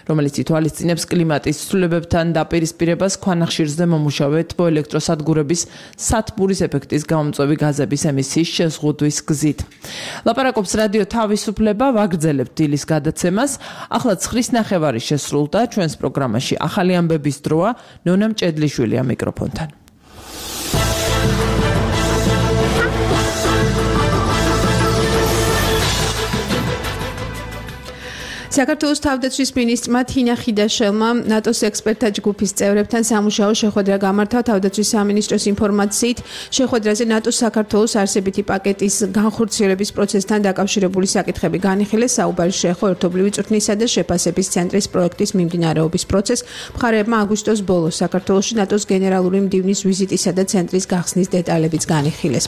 რომელიც ითვალისწინებს კლიმატის ცვლილებებთან დაპირისპირებას ქვანახშირზე მომუშავე თბოელექტროსადგურების სათბურის ეფექტის გამომწვევი გაზების ემისიის შეზღუდვის გზით. ლაპარაკობს რადიო თავისუფლება, ვაგრძელებთ დილის გადაცემას. ახლა 9:09 შესრულდა ჩვენს პროგრამაში ახალი ამბების დროა, ნონა მჭედლიშვილია მიკროფონთან. საქართველოს თავდაცვის მინისტრმა თინა ხიდაშელმა ნატოს ექსპერტთა ჯგუფის წევრებთან სამუშაო შეხვედრა გამართა. თავდაცვის სამინისტროს ინფორმაციით შეხვედრაზე ნატოს საქართველოს არსებითი პაკეტის განხორციელების პროცესთან დაკავშირებული საკითხები განიხილეს. საუბარი შეეხო ერთობლივი წვრთნისა და შეფასების ცენტრის პროექტის მიმდინარეობის პროცესს. მხარეებმა აგვისტოს ბოლოს საქართველოში ნატოს გენერალური მდივნის ვიზიტისა და ცენტრის გახსნის დეტალებიც განიხილეს.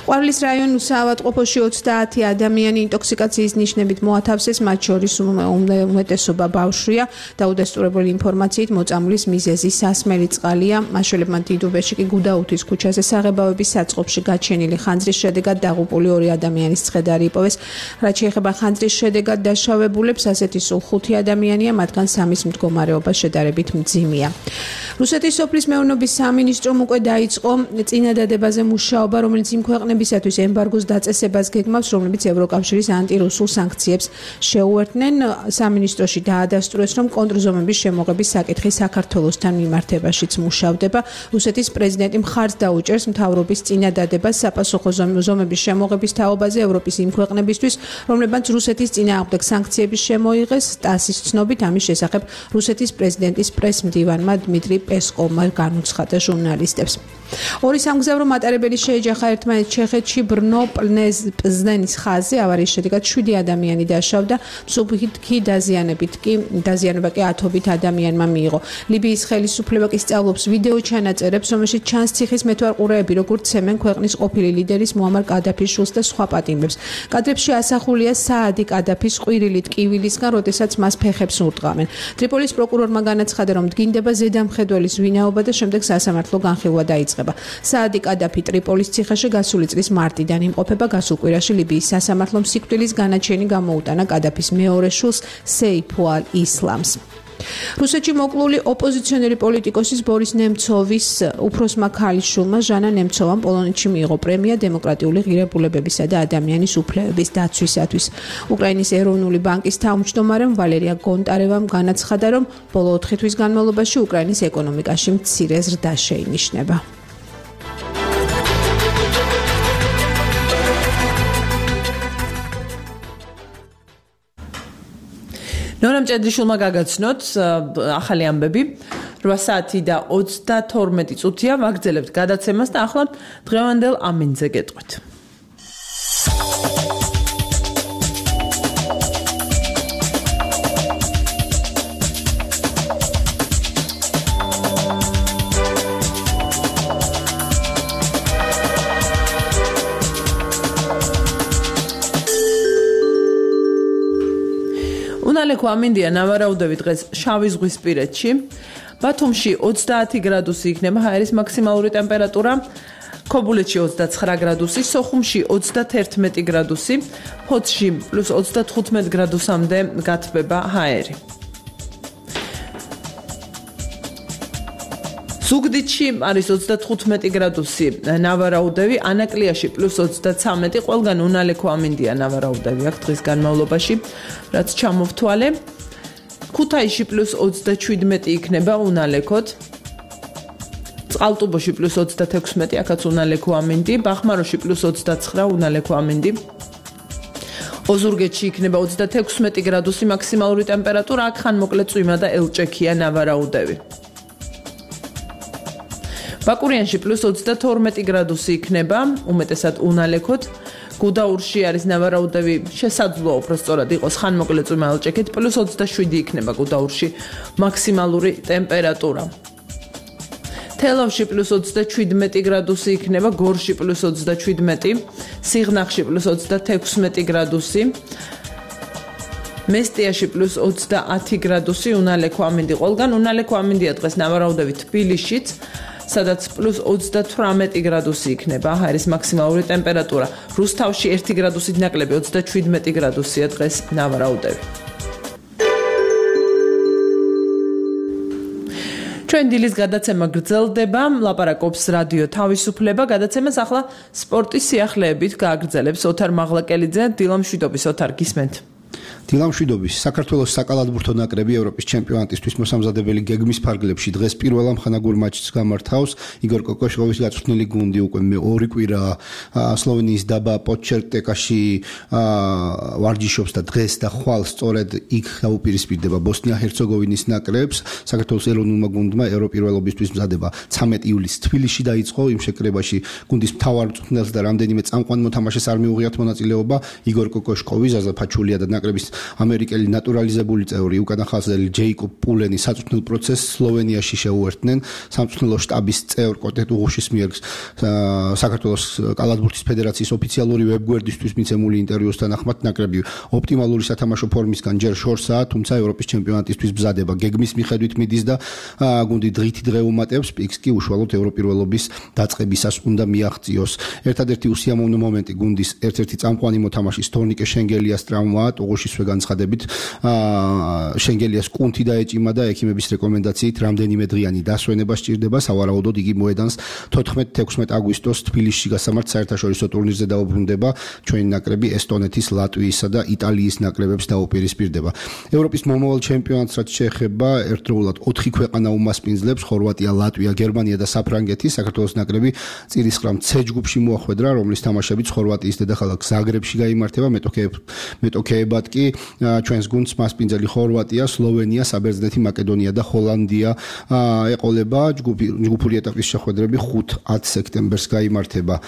ყვარლის რაიონულ საავადმყოფოში 30 ადამიანი ინტოქსიკაციის ნიშნებით მოათავსეს, მათ შორის უმეტესობა ბავშვია. დაუდესტურებული ინფორმაციით მოწამვლის მიზეზი სასმელი წყალია. მაშველებმა დიდუბეში კი გუდაუთის ქუჩაზე საღებავების საწყობში გაჩენილი ხანძრის შედეგად დაღუპული 2 ადამიანის ცხედარი იპოვეს. რაც შეეხება ხანძრის შედეგად დაშავებულებს, ასეთი სულ 5 ადამიანია, მათგან 3-ის მდგომარეობა შედარებით მძიმეა. რუსეთის სოფლის მეურნეობის სამინისტრომ უკვე დაიწყო წინადადებაზე მუშაობა, რომელიც იმ ქვეყნებისათვის ემბარგოს დაწესებას გეგმავს, რომლებიც ევროკავშირის ანტირუსულ სანქციებს შეუერთდნენ. სამინისტროში დაადასტურეს, რომ კონტრზომების შემოღების საკითხი საქართველოსთან მიმართებაშიც მუშავდება. რუსეთის პრეზიდენტი მხარს დაუჭერს მთავრობის წინადადებას საპასუხო ზომების შემოღების თაობაზე ევროპის იმ ქვეყნებისთვის, რომლებმაც რუსეთის წინააღმდეგ სანქციების შემოიღეს. ტასის ცნობით ამის შესახებ რუსეთის პრეზიდენტის პრესმდივანმა დმიტრი პესკოვმა განუცხადა ჟურნალისტებს. ორი სამგზავრო მატარებელი შეეჯახა ერთმანეთს ჩეხეთში ბრნო-პლზენის ხაზზე. ავარიის შედეგად 7 ადამიანი დაშავდა. მსუბუქი დაზიანება კი 10 ადამიანმა მიიღო. ლიბიის ხელისუფლება კი სწავლობს ვიდეო ჩანაწერებს, რომელშიც ჩანს ციხის მეთვალყურეები, როგორც ცემენ ქვეყნის ყოფილი ლიდერის მუამარ კადაფის შვილს და სხვა პატიმრებს. კადრებში ასახულია საადი კადაფის ყვირილით კივილისგან, როდესაც მას ფეხებს ურტყავენ. ტრიპოლის პროკურორმა განაცხადა, რომ დგინდება ზედამხედველის ვინაობა და შემდეგ სასამართლო განხილვა დაიწყება. საადი კადაფი ტრიპოლის ციხეში გასული წლის მარტიდან იმყოფება. გასულ კვირაში ლიბიის სასამართლომ სიკვდილის განაჩენი გამოუტანა კადაფის მეორე შვილს სეიფ ალ-ისლამს. რუსეთში მოკლული ოპოზიციონერი პოლიტიკოსის ბორის ნემცოვის უფროსმა ქალიშვილმა ჟანა ნემცოვამ პოლონეთში მიიღო პრემია დემოკრატიული ღირებულებებისა და ადამიანის უფლებების დაცვისათვის. უკრაინის ეროვნული ბანკის თავმჯდომარემ ვალერია გონტარევამ განაცხადა, რომ ბოლო 4 თვის განმავლობაში უკრაინის ეკონომიკაში მცირე ზრდა შეინიშნება. ნონა მჭედლიშვილმა გაგაცნოთ ახალი ამბები. 8 საათი და 32 წუთია ვაგრძელებთ გადაცემას და ახლა დღევანდელ ამინძე გეტყვით. უნალექო ამინდია ნავარაუდები დღეს შავი ზღვისპირეთში. ბათუმში 30 გრადუსი იქნება ჰაერის მაქსიმალური ტემპერატურა, ქობულეთში 29 გრადუსი, სოხუმში 31 გრადუსი, ფოთში +35 გრადუსამდე გათბება ჰაერი. ზუგდიდში არის 35 გრადუსი ნავარაუდები, ანაკლიაში +33, ყველგან უნალექო ამინდია ნავარაუდები აქ დღის განმავლობაში, რაც ჩამოვთვალე. ქუთაისში +27 იქნება უნალექოდ. წყალტუბოში +36, აქაც უნალექო ამინდი, ბახმაროში +29 უნალექო ამინდი. ოზურგეთში იქნება 36 გრადუსი მაქსიმალური ტემპერატურა, აქ ხან მოკლე წვიმა და ელჭექია ნავარაუდები. ბაკურიანში +22 გრადუსი იქნება, უმეტესად უნალექოთ. გუდაურში არის ნავარაუდები, შესაძლოა უბრალოდ იყოს ხან მოკლე წვიმა ელჭექით, +27 იქნება გუდაურში მაქსიმალური ტემპერატურა. თელავში +27 გრადუსი იქნება, გორში +27, სიღნაღში +26 გრადუსი. მესტიაში +30 გრადუსი, უნალექო ამინდი ყველგან, უნალექო ამინდია დღეს ნავარაუდები თბილისშიც, სადაც +28 გრადუსი იქნება, არის მაქსიმალური ტემპერატურა. რუსთავში 1 გრადუსით ნაკლები 27 გრადუსია დღეს ნავარაუდები. ჩვენ დილის გადაცემა გრძელდება, ლაპარაკობს რადიო თავისუფლება, გადაცემას ახლა სპორტის სიახლეებით გააგრძელებს ოთარ მაღლაკელიძე, დილამშვიდობის ოთარ, გისმენთ. დილამშვიდობის საქართველოს საკალათბურთო ნაკრები ევროპის ჩემპიონატისთვის მოსამზადებელი გეგმის ფარგლებში დღეს პირველ ამხანაგურ მატჩს გამართავს. იგორ კოკოშკოვის გაწვრთნილი გუნდი უკვე მეორე კვირა სლოვენიის დაბა პოჩერტეკაში ვარჯიშობს და დღეს და ხვალ სწორედ იქ დაუპირისპირდება ბოსნია-ჰერცეგოვინის ნაკრებს. საქართველოს ეროვნულმა გუნდმა ევროპირველობისთვის მზადება 13 ივლისს თბილისში დაიწყო. იმ შეკრებაში გუნდის მთავარ მწვრთნელს და რამდენიმე წამყვან მოთამაშეს არ მიუღიათ მონაწილეობა. იგორ კოკოშკოვი, ზაზა ფაჩულია და ნაკრების ამერიკელი ნატურალიზებული წევრი უკანახაზელი ჯეიკობ პულენი საწვრთნელ პროცესს სლოვენიაში შეუერთდნენ. სამწვრთნელო შტაბის წევრ კოტე ტუღუშის მიერ საქართველოს კალათბურთის ფედერაციის ოფიციალური ვებგვერდისთვის მიცემული ინტერვიუს თანახმად ნაკრები ოპტიმალური სათამაშო ფორმისგან ჯერ შორსაა, თუმცა ევროპის ჩემპიონატისთვის მზადება გეგმის მიხედვით მიდის და გუნდი დღითი დღე უმატებს, პიკს კი უშუალოდ ევროპირველობის დაწყებისას უნდა მიაღწიოს. ერთადერთი უსიამოვნო მომენტი გუნდის ერთ-ერთი წამყვანი მოთამაშის თორნიკე შენგელიას ტრავმაა, ტუღუშის განცხადებით შენგელიას კუნთი დაეჭიმა და ექიმების რეკომენდაციით რამდენიმე დღიანი დასვენება სჭირდება. სავარაუდოდ იგი მოედანს 14-16 აგვისტოს თბილისში გასამართ საერთაშორისო ტურნირზე დაუბრუნდება. ჩვენი ნაკრები ესტონეთის, ლატვიისა და იტალიის ნაკრებებს დაუპირისპირდება. ევროპის მომავალ ჩემპიონატს რაც შეეხება, ერთდროულად 4 ქვეყანა უმასპინძლებს: ხორვატია, ლატვია, გერმანია და საფრანგეთი. საქართველოს ნაკრები წირისყრამ C ჯგუფში მოახვედრა, რომლის თამაშებიც ხორვატიის დედაქალაქ ზაგრებში გაიმართება. მეტოქეებად კი ჩვენს გუნდს მასპინძელი ხორვატია, სლოვენია, საბერძნეთი, მაკედონია და ჰოლანდია ეყოლება. ჯგუფური ეტაპის შეხვედრები 5-10 სექტემბერს გაიმართება.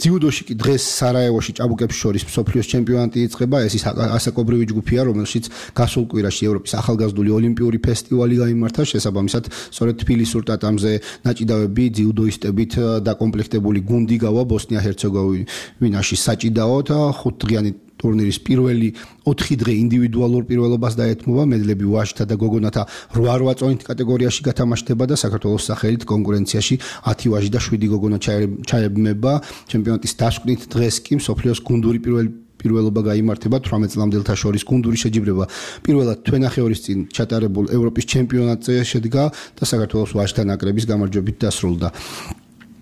ძიუდოში კი დღეს სარაევოში ჭაბუკებს შორის მსოფლიოს ჩემპიონატი იწყება. ეს ის ასაკობრივი ჯგუფია, რომელშიც გასულ კვირაში ევროპის ახალგაზრდული ოლიმპიური ფესტივალი გაიმართა. შესაბამისად, სწორედ თბილისურ ტატამზე ნაჭიდავები ძიუდოისტებით დაკომპლექტებული გუნდი გავა ბოსნია-ჰერცეგოვინაში საჭიდაოდ. 5 დღიანი ტურნირის პირველი 4 დღე ინდივიდუალურ პირველობას დაეთმობა. მედლები ვაჟთა და გოგონათა 8 წონით კატეგორიაში გათამაშდება და საქართველოს სახელით კონკურენციაში 10 ვაჟი და 7 გოგონა ჩაებმება. ჩემპიონატის დასკვნით დღეს კი მსოფლიოს გუნდური პირველობა გაიმართება 18 წლამდელთა შორის. გუნდური შეჯიბრება პირველად თვენახევრის წინ ჩატარებულ ევროპის ჩემპიონატზე შედგა და საქართველოს ვაჟთა ნაკრების გამარჯვებით დასრულდა.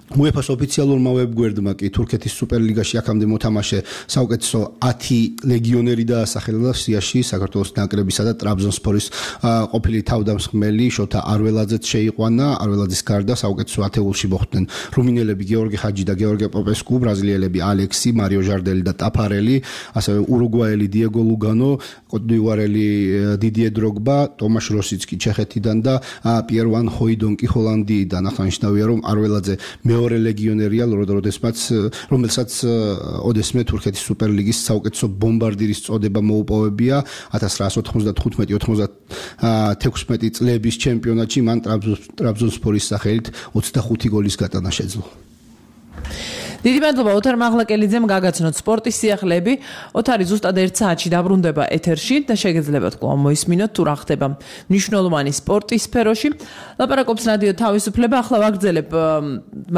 UEFA-ს ოფიციალურმა ვებგვერდმა კი თურქეთის სუპერლიგაში აქამდე მოთამაშე საუკეთესო 10 ლეგიონერი დაასახელა. სიაში საქართველოს ნაკრებისა და ტრაბზონსპორის ყოფილი თავდამსხმელი შოთა არველაძეც შეიყვანა. არველაძის გარდა საუკეთესო ათეულში მოხვდნენ რუმინელები გეორგი ხაჯი და გეორგი პოპესკუ, ბრაზილიელები ალექსი, მარიო ჟარდელი და ტაფარელი, ასევე ურუგვაელი დიეგო ლუგანო, კოტდივარელი დიდიე დროგბა, ტომაშ როსიცკი ჩეხეთიდან და პიერ ვან ჰოიდონკი ჰოლანდიიდან. აღსანიშნავია, რომ არველაძე მეორე ლეგიონერია, რომელსაც ოდესმე თურქეთის სუპერლიგის საუკეთესო ბომბარდირის წოდება მოუპოვებია. 1995-96 წლების ჩემპიონატში მან ტრაბზონსპორის სახელით 25 გოლის გატანა შეძლო. დიდი მადლობა ოთარ მაღლაკელიძემ გაგაცნოთ სპორტის სიახლეები. ოთარი ზუსტად 1 საათში დაბრუნდება ეთერში და შეგეძლებათ კვლავ მოისმინოთ თუ რა ხდება მნიშვნელოვანი სპორტის სფეროში. ლაპარაკობს რადიო თავისუფლება. ახლა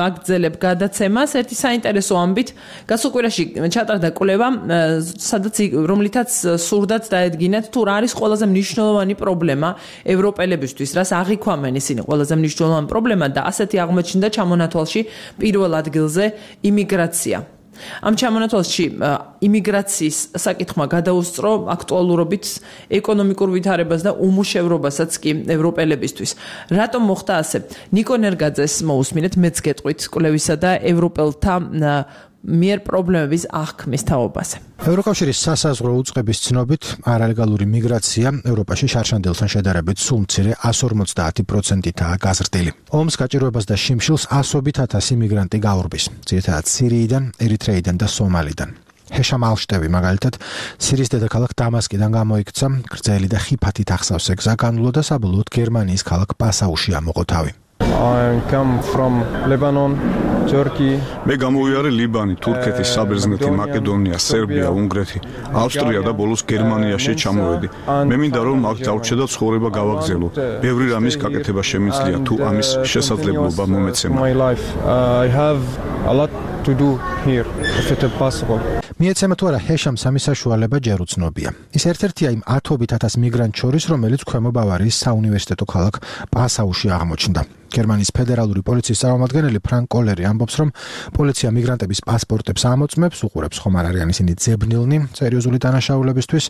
ვაგრძელებ გადაცემას ერთი საინტერესო ამბით. გასულ კვირაში ჩატარდა კვლევა, რომლითაც სურდათ დაედგინათ თუ რა არის ყველაზე მნიშვნელოვანი პრობლემა ევროპელებისთვის, რას აღიქვამენ ისინი ყველაზე მნიშვნელოვანი პრობლემა და ასეთი აღმოჩნდა ჩამონათვალში პირველ ადგილზე იმიგრაცია. ამ ჩამონათვალში იმიგრაციის საკითხმა გადაუსწრო აქტუალურობით ეკონომიკურ ვითარებას და უმუშევრობასაც კი ევროპელებისთვის. რატომ მოხდა ასე? ნიკო ნერგაძეს მოусმინეთ, მეც გეტყვით კვლევისა და ევროპელთა მიერ პრობლემების აღქმის თაობაზე. ევროკავშირის სასაზღვრო უწყების ცნობით არალეგალური მიგრაცია ევროპაში შარშანდელთან შედარებით სულ მცირე 150%-აა გაზრდილი. ომს გაჭირვებას და შიმშილს ასობით ათასი მიგრანტი გაურბის, ძირითადად სირიიდან, ერიტრეიდან და სომალიდან. ჰეშამ ალშტევი მაგალითად სირიის დედაქალაქ დამასკიდან გამოიქცა, გრძელი და ხიფათით ახსავსე გზა განვლო და საბოლოოდ გერმანიის ქალაქ პასაუში ამოყო თავი. I come from Lebanon, Turkey. მე გამოვიარე ლიბანი, თურქეთი, საბერძნეთი, მაკედონია, სერბია, უნგრეთი, ავსტრია და ბოლოს გერმანიაში ჩამოვედი. მე მინდა რომ აქ დავრჩე და ცხოვრება გავაგზავნო. ბევრი რამის გაკეთება შემიძლია თუ ამის შესაძლებლობა მომეცემა. I have a lot to do here if it is possible. მიეცემა თუ არა ჰეშამს ამის საშუალება ჯერ უცნობია. ის ერთ-ერთია იმ 100,000 მიგრანტ შორის, რომელიც ქვემო ბავარიის საუნივერსიტეტო ქალაქ პასაუში აღმოჩნდა. გერმანიის ფედერალური პოლიციის წარმომადგენელი ფრანკ კოლერი ამბობს, რომ პოლიცია მიგრანტების პასპორტებს ამოწმებს, უყურებს ხომ არ არიან ისინი ძებნილნი სერიოზული დანაშაულებისთვის,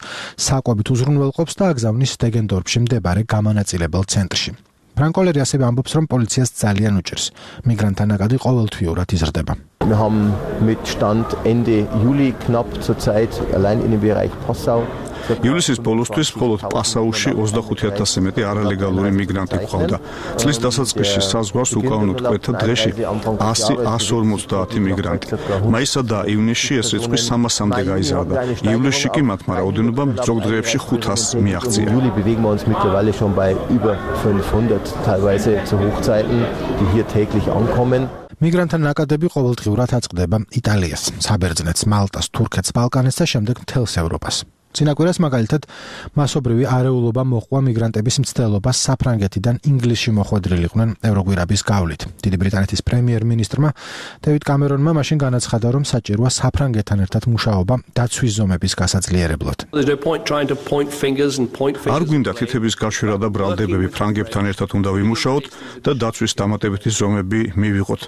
საკვებით უზრუნველყოფს და აგზავნის დეგენდორფში მდებარე გამანაწილებელ ცენტრში. ფრანკ კოლერი ასევე ამბობს, რომ პოლიციას ძალიან უჭირს მიგრანტთა ნაკადი ყოველთვიურად იზრდება. Wir haben mit Stand Ende Juli knapp zurzeit allein in dem Bereich Passau ივლისის ბოლოსთვის მხოლოდ პასაუში 25,000-ზე მეტი არალეგალური მიგრანტი გვყავდა. წლის დასაწყისში საზღვარს უკავონოდ კვეთა დღეში 100-150 მიგრანტი. მაისსა და ივნისში ეს რიცხვი 300-მდე გაიზარდა. ივლისში კი მათმა რაოდენობამ ზოგ დღეებში 500 მიაღწია. Juli bewegen wir uns mittlerweile schon bei über 500, teilweise zu Hochzeiten, die hier täglich ankommen. მიგრანტთა ნაკადები ყოველდღიურად აწყდება იტალიას, საბერძნეთს, მალტას, თურქეთს, ბალკანეთს და შემდეგ მთელს ევროპას. წინაკვირას მაგალითად მასობრივი არეულობა მოჰყვა მიგრანტების მცდელობას საფრანგეთიდან ინგლისში მოხვედრილიყვნენ ევროგვირაბის გავლით. დიდი ბრიტანეთის პრემიერ-მინისტრმა დევიდ კამერონმა მაშინ განაცხადა, რომ საჭიროა საფრანგეთთან ერთად მუშაობა დაცვის ზომების გასაძლიერებლად. არ გვინდა თითების გაშვერა და ბრალდებები, ფრანგებთან ერთად უნდა ვიმუშაოთ და დაცვის დამატებითი ზომები მივიღოთ.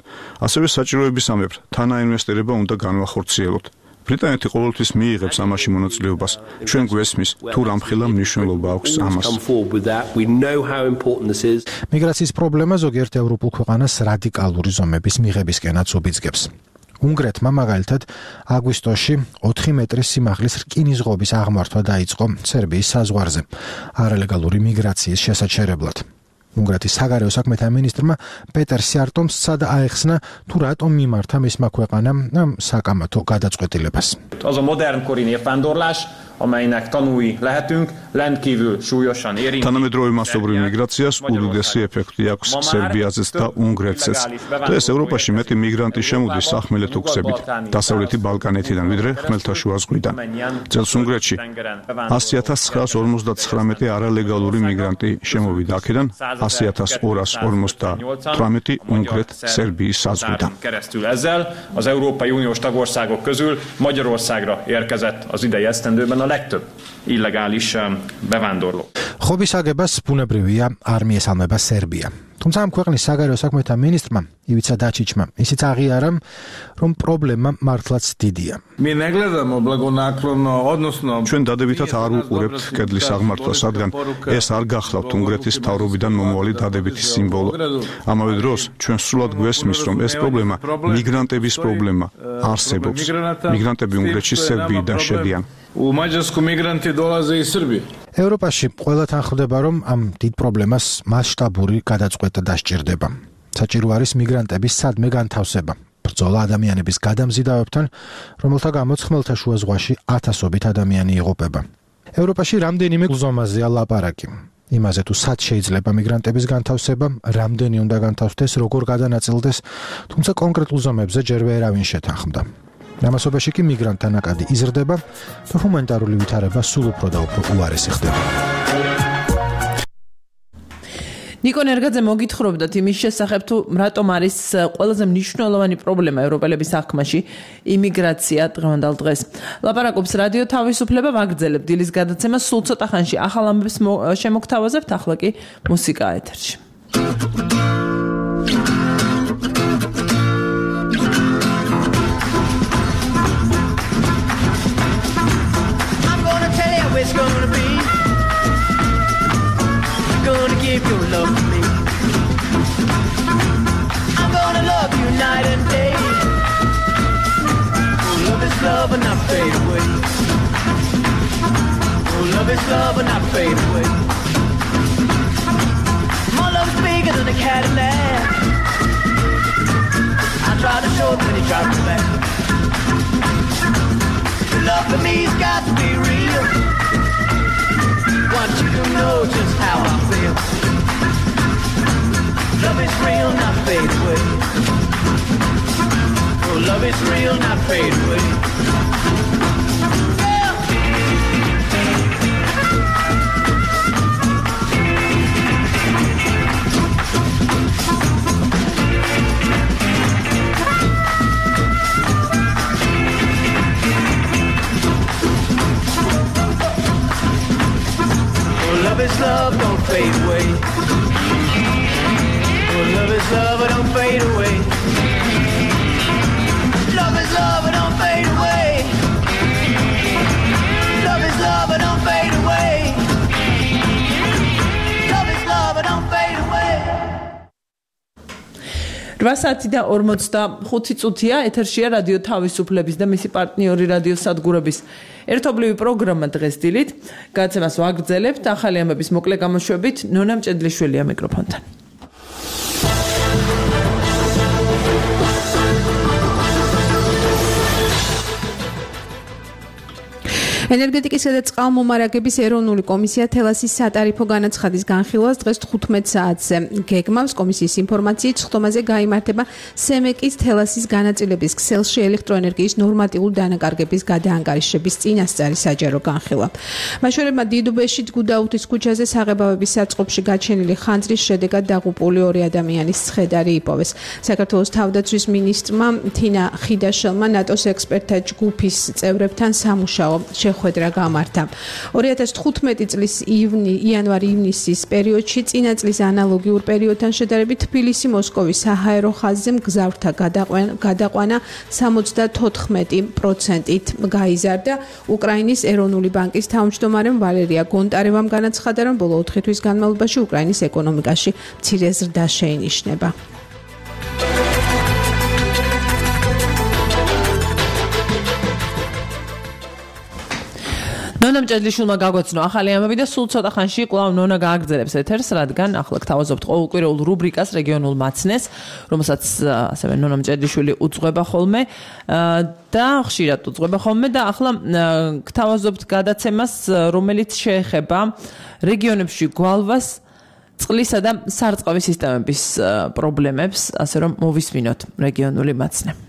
ასევე საჭიროებისამებრ თანაინვესტირება უნდა განვახორციელოთ. ბრიტანეთი ყოველთვის მიიღებს ამაში მონაწილეობას. ჩვენ გვესმის თუ რამხელა მნიშვნელობა აქვს ამას. მიგრაციის პრობლემა ზოგიერთ ევროპულ ქვეყანას რადიკალური ზომების მიღებისკენაც უბიძგებს. უნგრეთმა მაგალითად აგვისტოში 4 მეტრის სიმაღლის რკინისღობის აღმართვა დაიწყო სერბიის საზღვარზე არალეგალური მიგრაციის შესაჩერებლად. უნგრეთის საგარეო საქმეთა მინისტრმა პეტერ სიარტომ სცადა აეხსნა თუ რატომ მიმართა მისმა ქვეყანამ საკამათო გადაწყვეტილებას. Az a modernkori népvándorlás, amelynek tanúi lehetünk, rendkívül súlyosan érinti. თანამედროვე მასობრივ მიგრაციას უდიდესი ეფექტი აქვს სერბიაზეც და უნგრეთზეც. და ეს ევროპაში მეტი მიგრანტი შემოდის სახმელეთო გზებით, დასავლეთი ბალკანეთიდან, ვიდრე ხმელთაშუა ზღვიდან. წელს უნგრეთში 100,959 არალეგალური მიგრანტი შემოვიდა აქედან, 100,258 უნგრეთ-სერბიის საზღვიდან. Ezzel az Európai Uniós tagországok közül Magyarországra érkezett az idei esztendőben a legtöbb illegális bevándorló. ხობის აგებას ბუნებრივია არ მიესალმება სერბია. თუმცა ამ ქვეყნის საგარეო საქმეთა მინისტრმა ივიცა დაჩიჩმა ისიც აღიარა, რომ პრობლემა მართლაც დიდია. ჩვენ დადებითად არ უყურებთ კედლის აღმართვას, რადგან ეს არ გახლავთ უნგრეთის მთავრობიდან მომავალი დადებითი სიმბოლო. ამავე დროს ჩვენ სრულად გვესმის, რომ ეს პრობლემა მიგრანტების პრობლემა არსებობს. მიგრანტები უნგრეთში სერბიიდან შედიან. ევროპაში ყველათან ხვდება, რომ ამ დიდ პრობლემას მასშტაბური გადაწყვეტა დასჭირდება. საჭირო არის მიგრანტების სადმე განთავსება. ბრძოლა ადამიანების გადამზიდავებთან, რომელთა გამოც ხმელთაშუა ზღვაში ათასობით ადამიანი იღუპება. ევროპაში რამდენიმე ზომაზეა ლაპარაკი. იმაზე თუ სად შეიძლება მიგრანტების განთავსება, რამდენი უნდა განთავსდეს, როგორ გადანაწილდეს, თუმცა კონკრეტულ ზომებზე ჯერ ვერავინ შეთანხმდა. ამასობაში კი მიგრანტთა ნაკადი იზრდება და ჰუმანიტარული ვითარება სულ უფრო და უფრო უარესი ხდება. ნიკო ნერგაძე მოგითხრობდათ იმის შესახებ, თუ რატომ არის ყველაზე მნიშვნელოვანი პრობლემა ევროპელების საქმეში იმიგრაცია დღევანდელ დღეს. ლაპარაკობს რადიო თავისუფლება, ვაგრძელებ დილის გადაცემას, სულ ცოტა ხანში ახალ ამბებს შემოგთავაზებთ, ახლა კი მუსიკა ეთერში. It's gonna be gonna give your love to me. I'm gonna love you night and day. love will not fade away. My love is bigger than a Cadillac. I try to show it when he tries to back. Your love for me's got to be real. Want you to know just how I feel. Love is real, not fade away. Oh, love is real, not fade away. Love is love, don't fade away. Oh, love is love, don't fade away. Love is love, don't fade away. Love is love, don't fade away. Love is love, don't fade away. 8 და 45 წუთია ეთერშია რადიო თავისუფლების და მისი პარტნიორი რადიო სადგურების ერთობლივი პროგრამა დღეს დილით. გადაცემას ვაგრძელებთ ახალი ამბების მოკლე გამოშვებით ნონა მჭედლიშვილია მიკროფონთან. ენერგეტიკისა და წყალმომარაგების ეროვნული კომისია თელასის სატარიფო განაცხადის განხილვას დღეს 15 საათზე გეგმავს. კომისიის ინფორმაციით სხდომაზე გაიმართება სემეკის თელასის განაწილების ქსელში ელექტროენერგიის ნორმატიული დანაკარგების გადაანგარიშების წინასწარი საჯარო განხილვა. მაშორებმა დიდუბეში გუდაუთის ქუჩაზე საღებავების საწყობში გაჩენილი ხანძრის შედეგად დაღუპული 2 ადამიანის ცხედარი იპოვეს. საქართველოს თავდაცვის მინისტრმა თინა ხიდაშელმა ნატოს ექსპერტთა ჯგუფის წევრებთან სამუშაო ხვედრა გამართა. 2015 წლის იანვარ-ივნისის პერიოდში წინა წლის ანალოგიურ პერიოდთან შედარებით თბილისი-მოსკოვის საჰაერო ხაზზე მგზავრთა გადაყვანა 74%-ით გაიზარდა. უკრაინის ეროვნული ბანკის თავმჯდომარემ ვალერია გონტარევამ განაცხადა, რომ ბოლო 4 თვის განმავლობაში უკრაინის ეკონომიკაში მცირე ზრდა შეინიშნება. ნონა მჭედლიშვილმა გაგვეცნო ახალი ამბები და სულ ცოტა ხანში კვლავ ნონა გააგრძელებს ეთერს, რადგან ახლა გთავაზობთ ყოველკვირეულ რუბრიკას რეგიონულ მაცნეს, რომელსაც ასევე ნონა მჭედლიშვილი უძღვება ხოლმე და ხშირად უძღვება ხოლმე და ახლა გთავაზობთ გადაცემას, რომელიც შეეხება რეგიონებში გვალვას, წყლისა და სარწყავი სისტემების პრობლემებს, ასე რომ მოვისმინოთ რეგიონული მაცნე.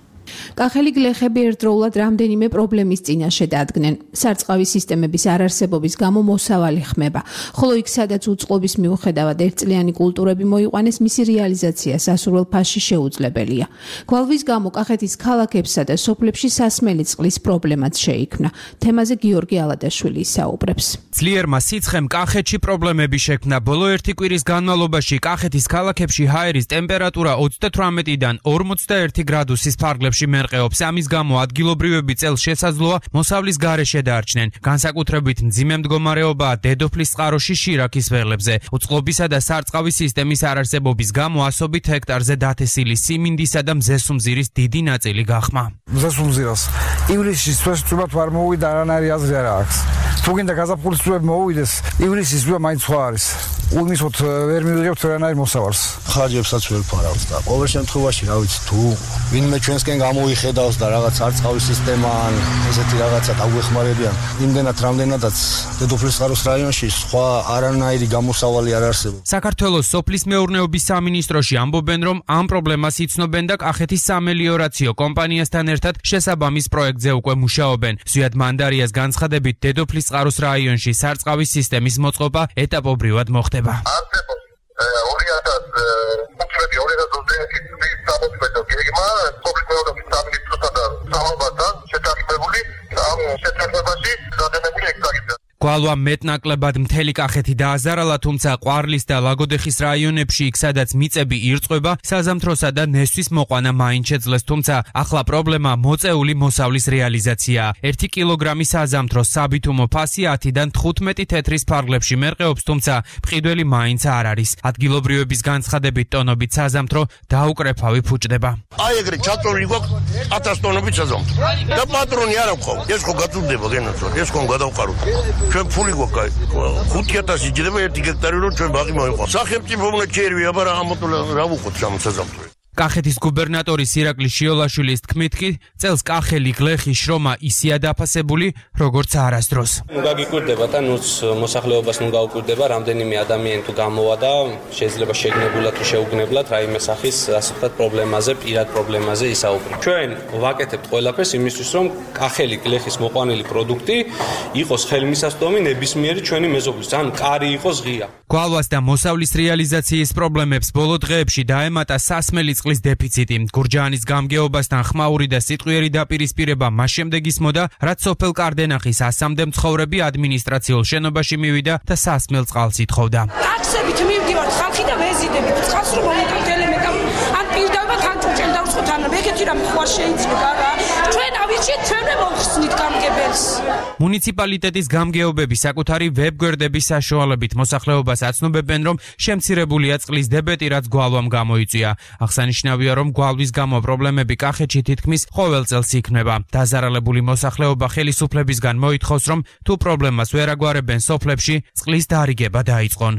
კახელი გლეხები ერთდროულად რამდენიმე პრობლემის წინაშე დადგნენ. სარწყავი სისტემების არარსებობის გამო მოსავალი ხმება, ხოლო იქ სადაც უწყლობის მიუხედავად ერთწლიანი კულტურები მოიყვანეს, მისი რეალიზაცია სასურველ ფასში შეუძლებელია. გვალვის გამო კახეთის ქალაქებსა და სოფლებში სასმელი წყლის პრობლემაც შეიქმნა. თემაზე გიორგი ალადაშვილი ისაუბრებს. ძლიერმა სიცხემ კახეთში პრობლემები შექმნა. ბოლო 1 კვირის განმავლობაში კახეთის ქალაქებში ჰაერის ტემპერატურა 38-დან 41 გრადუსის ფარგლებში მერყეობს. ამის გამო ადგილობრივები წელს შესაძლოა მოსავლის გარეშე დარჩნენ. განსაკუთრებით მძიმე მდგომარეობაა დედოფლის წყაროში შირაქის ველებზე. უწყლობისა და სარწყავი სისტემის არარსებობის გამო ასობით ჰექტარზე დათესილი სიმინდისა და მზესუმზირის დიდი ნაწილი გახმა. მზესუმზირას ივლისში სვეტად არ მოვიდა, არანაირი აზრი არ აქვს. თუ გინდა გაზაფხულის წვები მოვიდეს, ივლისის წვება მაინც სხვა არის. უიმისოთ ვერ მივიღებთ არანაირ მოსავალს. ხარჯებსაც ვერ ფარავთ და ყოველ შემთხვევაში, რა ვიცი, თუ ვინმე ჩვენსკენ გამოიხედავს და რაღაც სარწყავი სისტემა ან ესეთი რაღაცა დაგვეხმარებიან, იმდენად რამდენადაც დედოფლის წყაროს რაიონში სხვა არანაირი გამოსავალი არ არსებობს. საქართველოს სოფლის მეურნეობის სამინისტროში ამბობენ, რომ ამ პრობლემას იცნობენ და კახეთის სამელიორაციო კომპანიასთან ერთად შესაბამის პროექტზე უკვე მუშაობენ. ზვიად მანდარიას განცხადებით, დედოფლის წყაროს რაიონში სარწყავი სისტემის მოწყობა ეტაპობრივად მოხდება. 2015-2020 წლის გეგმა სოფლის მეურნეობის სამინისტროსა და სამმართველთან შეთანხმებული ამ შეთანხმებაში გადადებული ექსპერტიზა. გვალვა მეტნაკლებად მთელი კახეთი დააზარალა, თუმცა ყვარლის და ლაგოდეხის რაიონებში იქ სადაც მიწები ირწყვება, საზამთროსა და ნესვის მოყვანა მაინც შეძლეს, თუმცა ახლა პრობლემა მოწეული მოსავლის რეალიზაციაა. 1 კილოგრამი საზამთროს საბითუმო ფასი 10-დან 15 თეთრის ფარგლებში მერყეობს, თუმცა მყიდველი მაინც არ არის. ადგილობრივების განცხადებით ტონობით საზამთრო დაუკრეფავი ფუჭდება. აი ეგრე ჩაწოლილი გვაქვს 1000 ტონობით საზამთრო. და პატრონი არ აქვს. ეს ხო გაწურდება გენაცვალ, ეს ხო გადავყაროთ. ჩვენ ჩვენ ფული გვაქვს 5000 იჭდება 1 ჰექტარი რომ ჩვენ ბაღი მოიყვანს. სახელმწიფომ ჩერვია, მაგრამ ამოთულა რა ვუხოთ სამსაზამთრო. კახეთის გუბერნატორის ირაკლი შიოლაშვილის თქმით კი წელს კახელი გლეხი შრომა ისია დაფასებული როგორც არასდროს. გაგიკვირდება და ნუც მოსახლეობას ნუ გაუკვირდება რამდენიმე ადამიანი თუ გამოვა და შეიძლება შეგნებულად თუ შეუგნებლად რაიმე სახის ასე ვთქვათ პრობლემაზე, პირად პრობლემაზე ისაუბროთ. ჩვენ ვაკეთებთ ყველაფერს იმისთვის რომ კახელი გლეხის მოყვანილი პროდუქტი იყოს ხელმისაწვდომი ნებისმიერი ჩვენი მეზობლის, ან კარი იყოს ღია. გვალვას და მოსავლის რეალიზაციის პრობლემებს ბოლო დღეებში დაემატა სასმელი წყლის დეფიციტი. გურჯაანის გამგეობასთან ხმაური და სიტყვიერი დაპირისპირება მას შემდეგ ისმოდა, რაც სოფელ კარდენახის 100-მდე მცხოვრები ადმინისტრაციულ შენობაში მივიდა და სასმელ წყალს ითხოვდა. ტაქსებით მივდივართ ხალხი და ვეზიდებით. წყალს რომ მომიტანთ ელემენტად, ან პირდავად ან ჭურჭელი დავსხოთ, ან ეგეთი რამე ხო არ შეიძლება რა. ჩვენ ავიჩით, ჩვენ მოვხსნით გამგებელს. მუნიციპალიტეტის გამგეობები საკუთარი ვებგვერდების საშუალებით მოსახლეობას აცნობებენ, რომ შემცირებულია წყლის დებეტი, რაც გვალვამ გამოიწვია. აღსანიშნავია, რომ გვალვის გამო პრობლემები კახეთში თითქმის ყოველ წელს იქმნება. დაზარალებული მოსახლეობა ხელისუფლებისგან მოითხოვს, რომ თუ პრობლემას ვერ აგვარებენ სოფლებში, წყლის დარიგება დაიწყონ.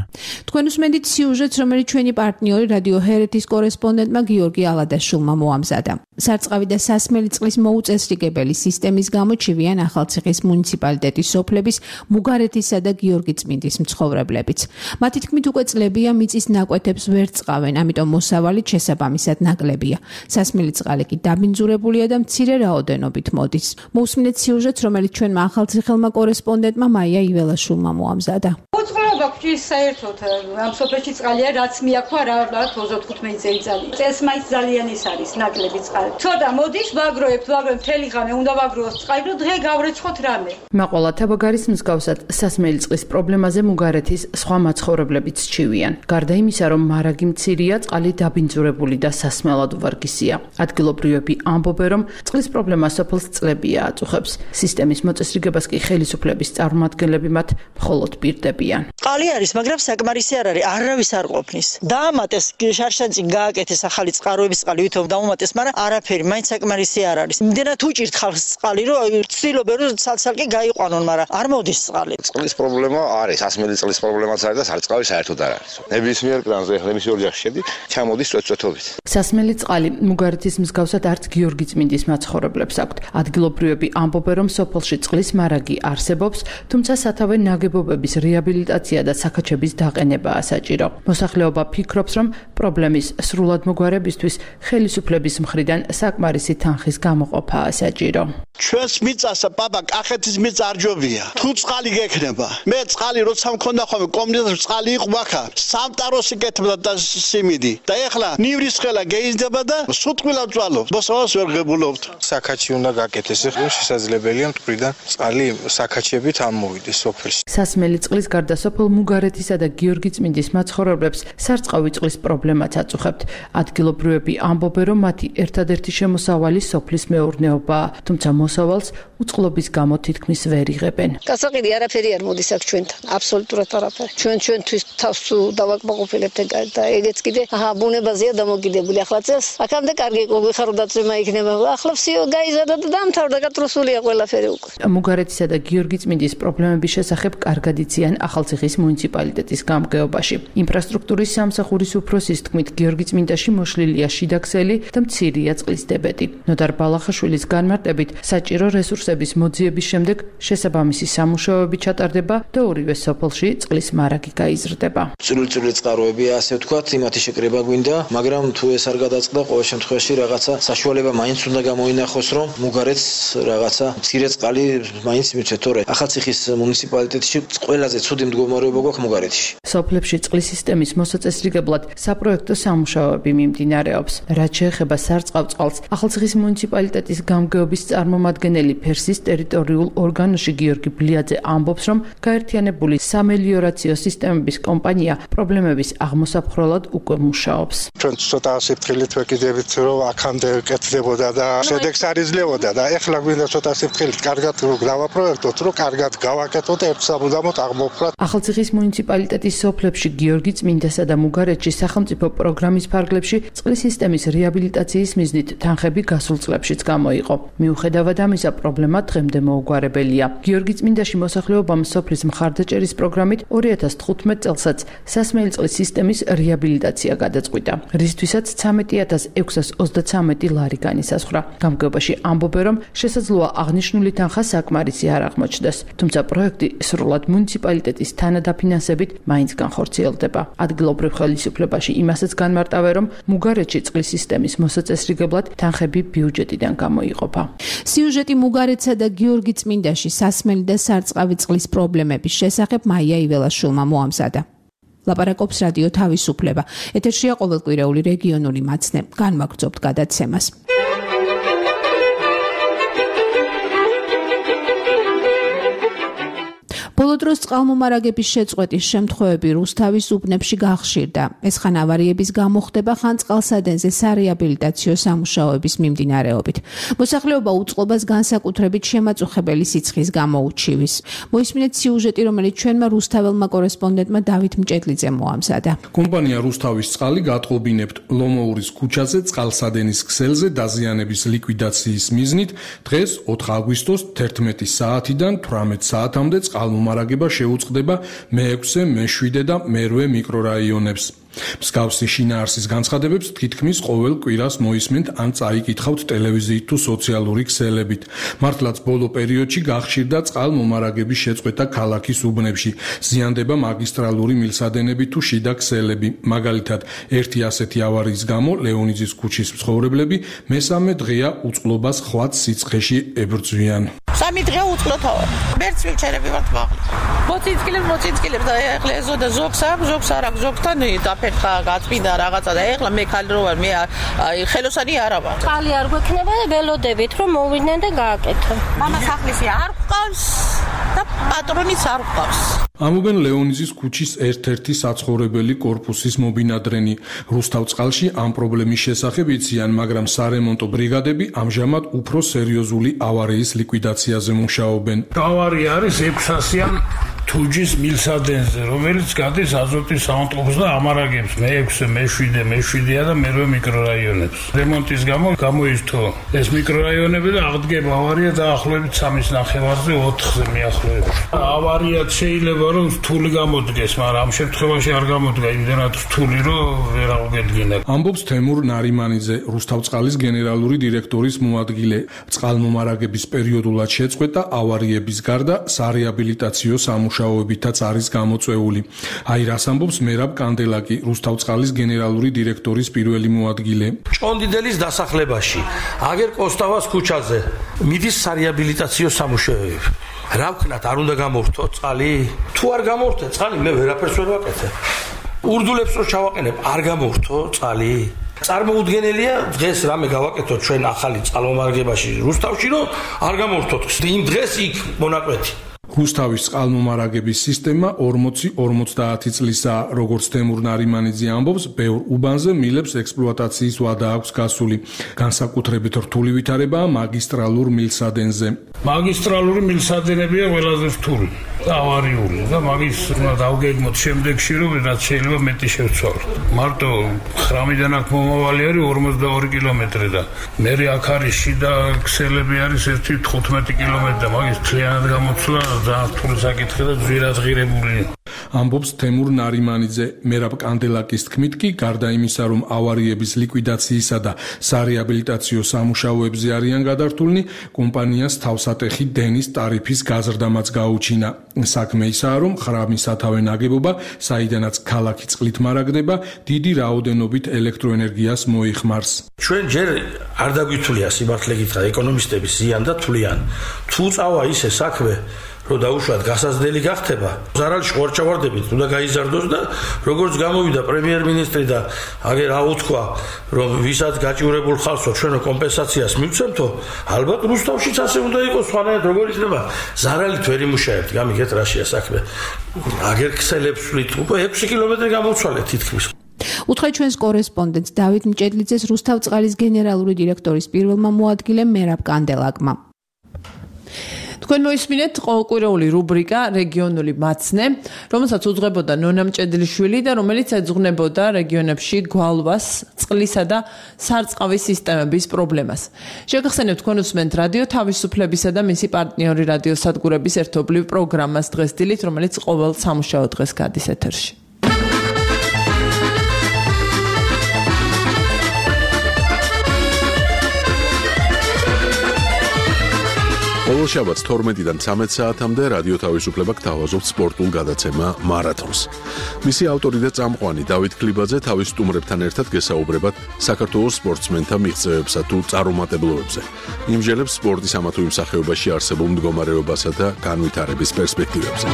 თქვენ უსმენთ სიუჟეტს, რომელიც ჩვენი პარტნიორი რადიო ჰერეთის კორესპონდენტმა გიორგი ალადაშვილმა მოამზადა. სარწყავი და სასმელი წყლის მოუწესრიგებელი სისტემის გამო ჩივიან ახალციხის მუნიციპალიტეტის სოფლების მუგარეთისა და გიორგიწმინდის მცხოვრებლებიც. მათი თქმით უკვე წლებია მიწის ნაკვეთებს ვერ წყავენ, ამიტომ მოსავალი შესაბამისად ნაკლებია. სასმელი წყალი კი დაბინძურებულია და მცირე რაოდენობით მოდის. მოусმინეთ სიუჟეტს, რომელიც ჩვენმა ახალციხელმა კორესპონდენტმა მაია იველაშვილმა მოამზადა. უწყლობა გვჭირს საერთოდ ამ სოფელში წყალია, რაც მიაქვა რა 25 წელიწადში. წელს მაინც ძალიან ის არის ნაკლები წყალი. ცოტა მოდის, ვაგროებთ, მთელი ღამე უნდა ვაგროოს წყალი, რომ დღე გავრეცხოთ რამე. მაყოლა თაბაგარის მსგავსად სასმელი წყლის პრობლემაზე მუგარეთის სხვა მაცხოვრებლებიც ჩივიან. გარდა იმისა, რომ მარაგი მცირეა, წყალი დაბინძურებული და სასმელად უვარგისია. ადგილობრივები ამბობენ, რომ წყლის პრობლემა სოფელს წლებია აწუხებს. სისტემის მოწესრიგებას კი ხელისუფლების წარმომადგენლები მათ მხოლოდ პირდებიან. წყალი არის, მაგრამ საკმარისი არ არის, არავის არ ყოფნის. დაამატეს შარშანწინ გააკეთეს ახალი წყაროების წყალი, ვითომ დაუმატეს, მაგრამ არაფერი, მაინც საკმარისი არ არის. იმდენად უჭირთ ხალხს წყალი, რომ ცდილობენ რომ ცალ-ცალკე გაიყვანონ, მაგრამ არ მოდის წყალი. წყლის პრობლემა არის, სასმელი წყლის პრობლემაც არის და სარწყავი საერთოდ არ არის. ნებისმიერ კრანზე, ნებისმიერ ოჯახში შედი, ჩამოდის წვეთწვეთობით. სასმელი წყალი მუგარეთის მსგავსად არც გიორგიწმინდის მაცხოვრებლებს აქვთ. ადგილობრივები ამბობენ, რომ სოფელში წყლის მარაგი არსებობს, თუმცა სათავე ნაგებობების რეაბილიტაცია და საქაჩების დაყენებაა საჭირო. მოსახლეობა ფიქრობს, რომ პრობლემის სრულად მოგვარებისთვის ხელისუფლების მხრიდან საკმარისი თანხის გამოყოფაა საჭირო. ჩვენს მიწასა პაპა კახეთის მიწა არ ჯობია. თუ წყალი გექნება, მე წყალი როცა მქონდა ხოლმე კომუნისტ წყალი იყო მახა, სამტაროსი კეთებდა და სიმიდი. და ეხლა ნივრის ხელა გეიზდება და სუტყვილად წვალობ. მოსავალს ვერ ღებულობთ. საკაჩი უნდა გაკეთეს, ხო შესაძლებელია მტვრიდან წყალი საკაჩებით ამოვიდეს სოფელში. სასმელი წყლის გარდა სოფელ მუგარეთისა და გიორგიწმინდის მაცხოვრებლებს სარწყავი წყლის პრობლემაც აწუხებთ. ადგილობრივები ამბობენ, რომ მათი ერთადერთი შემოსავალი სოფლის მეურნეობაა, თუმცა მოსავალს უწყლობის გამო თითქმის ვერ იღებენ. გასაყიდი არაფერი არ მოდის აქ ჩვენთან, აბსოლუტურად არაფერი. ჩვენთვის თავს დავაკმაყოფილებთ და ეგეც კიდე ბუნებაზეა დამოკიდებული. ახლა წელს აქამდე კარგი გეხარდა წვიმა იქნება. ახლა всё გაიზარდა და დამთავრდა, გატრუსულია ყველაფერი უკვე. მუგარეთისა და გიორგიწმინდის პრობლემების შესახებ კარგად იციან ახალციხის მუნიციპალიტეტის გამგეობაში. ინფრასტრუქტურის სამსახურის უფროსის თქმით, გიორგიწმინდაში მოშლილია შიდა ქსელი და მცირეა წყლის დებეტი. ნოდარ ბალახაშვილის განმარტებით, საჭირო რესურსების მოძიების შემდეგ შესაბამისი სამუშაოები ჩატარდება და ორივე სოფელში წყლის მარაგი გაიზრდება. წვრილი წყაროებია, ასე ვთქვათ, იმათი შეკრება გვინდა, მაგრამ თუ ეს არ გადაწყდა, ყოველ შემთხვევაში რაღაცა საშუალება მაინც უნდა გამოინახოს, რომ მუგარეთს რაღაცა მცირე წყალი მაინც მიცეთ, თორე ახალციხის მუნიციპალიტეტში ყველაზე ცუდი მდგომარეობა გვაქვს მუგარეთში. სოფლებში წყლის სისტემის მოსაწესრიგებლად საპროექტო სამუშაოები მიმდინარეობს. რაც შეეხება სარწყავ წყალს, ახალციხის მუნიციპალიტეტის გამგეობის წარმომადგენელი ფერსის ტერიტორიულ ორგანოში გიორგი ბლიაძე ამბობს, რომ გაერთიანებული სამელიორაციო სისტემების კომპანია პრობლემების აღმოსაფხრელად უკვე მუშაობს. ჩვენ ცოტა სიფრთხილით ვეკიდებით, რომ აქამდე კეთდებოდა და შედეგს არ იძლეოდა და ეხლა გვინდა ცოტა სიფრთხილით კარგად გავაპროექტოთ, რომ კარგად გავაკეთოთ და ერთ სამუდამოდ აღმოფხვრათ. ახალციხის მუნიციპალიტეტის სოფლებში გიორგიწმინდასა და მუგარეთში სახელმწიფო პროგრამის ფარგლებში წყლის სისტემის რეაბილიტაციის მიზნით თანხები გასულ წლებშიც გამოიყო. მიუხედავად ამისა, პრობლემა პრობლემა დღემდე მოუგვარებელია. გიორგი წმინდაში მოსახლეობამ სოფლის მხარდაჭერის პროგრამით 2015 წელსაც სასმელი წყლის სისტემის რეაბილიტაცია გადაწყვიტა, რისთვისაც 13,633 ლარი განისაზღვრა. გამგეობაში ამბობენ, რომ შესაძლოა აღნიშნული თანხა საკმარისი არ აღმოჩნდეს, თუმცა პროექტი სრულად მუნიციპალიტეტის თანადაფინანსებით მაინც განხორციელდება. ადგილობრივ ხელისუფლებაში იმასაც განმარტავენ, რომ მუგარეთში წყლის სისტემის მოსაწესრიგებლად თანხები ბიუჯეტიდან გამოიყოფა. სიუჟეტი მუგარეთსა და გიორგი წმინდაში სასმელი და სარწყავი წყლის პრობლემების შესახებ მაია იველაშვილმა მოამზადა. ლაპარაკობს რადიო თავისუფლება. ეთერშია ყოველკვირეული რეგიონული მაცნე. განვაგრძობთ გადაცემას. ბოლო დროს წყალმომარაგების შეწყვეტის შემთხვევები რუსთავის უბნებში გახშირდა. ეს ხან ავარიების გამო ხდება, ხან წყალსადენზე სარეაბილიტაციო სამუშაოების მიმდინარეობით. მოსახლეობა უწყლობას განსაკუთრებით შემაწუხებელი სიცხის გამო უჩივის. მოისმინეთ სიუჟეტი, რომელიც ჩვენმა რუსთაველმა კორესპონდენტმა დავით მჭედლიძე მოამზადა. კომპანია რუსთავის წყალი გატყობინებთ ლომოურის ქუჩაზე წყალსადენის ქსელზე დაზიანების ლიკვიდაციის მიზნით დღეს 4 აგვისტოს 11 საათიდან 18 საათამდე წყალმომარაგება შეუწყდება მე-6, მე-7 და მე-8 მიკრორაიონებს. მსგავსი შინაარსის განცხადებებს თითქმის ყოველ კვირას მოისმენთ ან წაიკითხავთ ტელევიზიით თუ სოციალური ქსელებით. მართლაც ბოლო პერიოდში გახშირდა წყალმომარაგების შეწყვეტა ქალაქის უბნებში. ზიანდება მაგისტრალური მილსადენები თუ შიდა ქსელები. მაგალითად, ერთი ასეთი ავარიის გამო ლეონიძის ქუჩის მცხოვრებლები მესამე დღეა უწყლობას ხვაც სიცხეში ებრძვიან. 3 დღე უწყლოთ ავარ. მერც ვიჩერები ვართ მაღლა. მოცინცკილებს და ეხლა ეზოდა ზოგს არ აქვს ზოგთან დაფერხა გაწმინდა რაღაცა და ეხლა მე ხალი რო ვარ მე ხელოსანი არა ვარ. წყალი არ გვექნება და ველოდებით რომ მოვიდნენ და გააკეთო. მამა სახლისი არ ყავს და პატრონიც არ ყავს. ამობენ ლეონიძის ქუჩის ერთ-ერთი საცხოვრებელი კორპუსის მობინადრენი. რუსთავწყალში ამ პრობლემის შესახებ იციან, მაგრამ სარემონტო ბრიგადები ამჟამად უფრო სერიოზული ავარიის ლიკვიდაციაზე მუშაობენ. ავარია არის 600-იან თუჯის მილსადენზე, რომელიც გადის აზოტის საავტობუსს და ამარაგებს მე-6, მე-7, მე-7 და მე-8 მიკრორაიონებს. რემონტის გამო გამოიწვო ეს მიკრორაიონები და აღდგება ავარია დაახლოებით 3.5-ზე 4-ზე მიახლოებით. ავარია შეიძლება რომ რთული გამოდგეს, მაგრამ ამ შემთხვევაში არ გამოდგა იმდენად რთული, რომ ვერ აღუდგენა. ამბობს თემურ ნარიმანიძე, რუსთავწყალის გენერალური დირექტორის მოადგილე. წყალმომარაგების პერიოდულად შეწყვეტა ავარიების გარდა სარეაბილიტაციო სამუშაოებითაც არის გამოწვეული. აი რას ამბობს მერაბ კანდელაკი, რუსთავწყალის გენერალური დირექტორის პირველი მოადგილე. ჭონდიდელის დასახლებაში, აგერ კოსტავას ქუჩაზე მიდის სარეაბილიტაციო სამუშაოები. რა ვქნათ, არ უნდა გამორთო წყალი? თუ არ გამორთე წყალი, მე ვერაფერს ვერ ვაკეთებ. ურდულებს რო ჩავაყენებ, არ გამორთო წყალი? წარმოუდგენელია დღეს რამე გავაკეთოთ ჩვენ ახალი წყალმომარაგებაში რუსთავში, რომ არ გამორთოთ. იმ დღეს იქ მონაკვეთი. რუსთავის წყალმომარაგების სისტემა 40-50 წლისაა, როგორც თემურ ნარიმანიძე ამბობს, ბევრ უბანზე მილებს ექსპლუატაციის ვადა აქვს გასული. განსაკუთრებით რთული ვითარებაა მაგისტრალურ მილსადენზე. მაგისტრალური მილსადენებია ყველაზე რთული, ავარიული და მაგის უნდა დავგეგმოთ შემდეგში, რომ რაც შეიძლება მეტი შევცვალოთ. მარტო ხრამიდან აქ მომავალი არის 42 კილომეტრი და მე აქ არის შიდა ქსელები არის 1.15 კილომეტრი და მაგის მთლიანად გამოცვლა ძალიან რთული საკითხი და ძვირადღირებული. ამბობს თემურ ნარიმანიძე. მერაბ კანდელაკის თქმით კი, გარდა იმისა, რომ ავარიების ლიკვიდაციისა და სარეაბილიტაციო სამუშაოებზე არიან გადართულნი, კომპანიას თავსატეხი დენის ტარიფის გაზრდამაც გაუჩინა. საქმე ისაა, რომ ხრამის სათავე ნაგებობა, საიდანაც ქალაქი წყლით მარაგდება, დიდი რაოდენობით ელექტროენერგიას მოიხმარს. ჩვენ ჯერ არ დაგვითვლია სიმართლე გითხრათ ეკონომისტები ზიან და თვლიან. თუ წავა ისე საქმე რომ დაუშვათ გასაზრდელი გახდება, ზარალში ხორჩავარდებით უნდა გაიზარდოს და როგორც გამოვიდა პრემიერ-მინისტრი და აგერ აუთქვა, რომ ვისაც გაჭირებულ ხალხო ჩვენო კომპენსაციას მივცემთო, ალბათ რუსთავშიც ასე უნდა იყოს, სხვანაირად როგორ იქნება, ზარალით ვერ იმუშაებთ, გამიგეთ რაშია საქმე. აგერ ქსელებს ვით, უკვე 6 კილომეტრი გამოვცვალეთ თითქმის. უთხრეთ ჩვენს კორესპონდენტს დავით მჭედლიძეს რუსთავწყალის გენერალური დირექტორის პირველმა მოადგილემ მერაბ კანდელაკმა. თქვენ მოისმინეთ ყოველკვირეული რუბრიკა რეგიონული მაცნე, რომელსაც უძღვებოდა ნონა მჭედლიშვილი და რომელიც ეძღვნებოდა რეგიონებში გვალვას, წყლისა და სარწყავის სისტემების პრობლემას. შეგახსენებთ, თქვენ უსმენთ რადიო თავისუფლებისა და მისი პარტნიორი რადიოსადგურების ერთობლივ პროგრამას დღეს დილით, რომელიც ყოველ სამუშაო დღეს გადის ეთერში. ყოველ შაბათს 12-დან 13 საათამდე რადიო თავისუფლება გთავაზობთ სპორტულ გადაცემა მარათონს. მისი ავტორი და წამყვანი დავით ქლიბაძე თავის სტუმრებთან ერთად გესაუბრებათ საქართველოს სპორტსმენთა მიღწევებსა თუ წარუმატებლობებზე. იმჟელებს სპორტის ამა თუ იმ სახეობაში არსებულ მდგომარეობასა და განვითარების პერსპექტივებზე.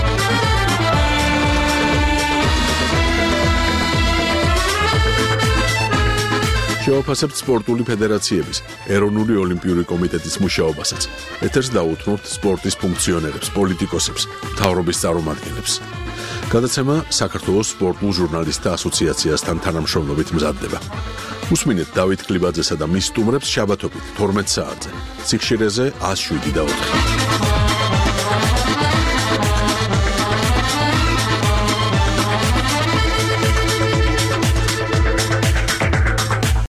შევაფასებთ სპორტული ფედერაციების, ეროვნული ოლიმპიური კომიტეტის მუშაობასაც. ეთერს დაუთმობთ სპორტის ფუნქციონერებს, პოლიტიკოსებს, მთავრობის წარმომადგენლებს. გადაცემა საქართველოს სპორტულ ჟურნალისტთა ასოციაციასთან თანამშრომლობით მზადდება. უსმინეთ დავით ქლიბაძესა და მის სტუმრებს შაბათობით 12 საათზე. სიხშირეზე 107 და 4.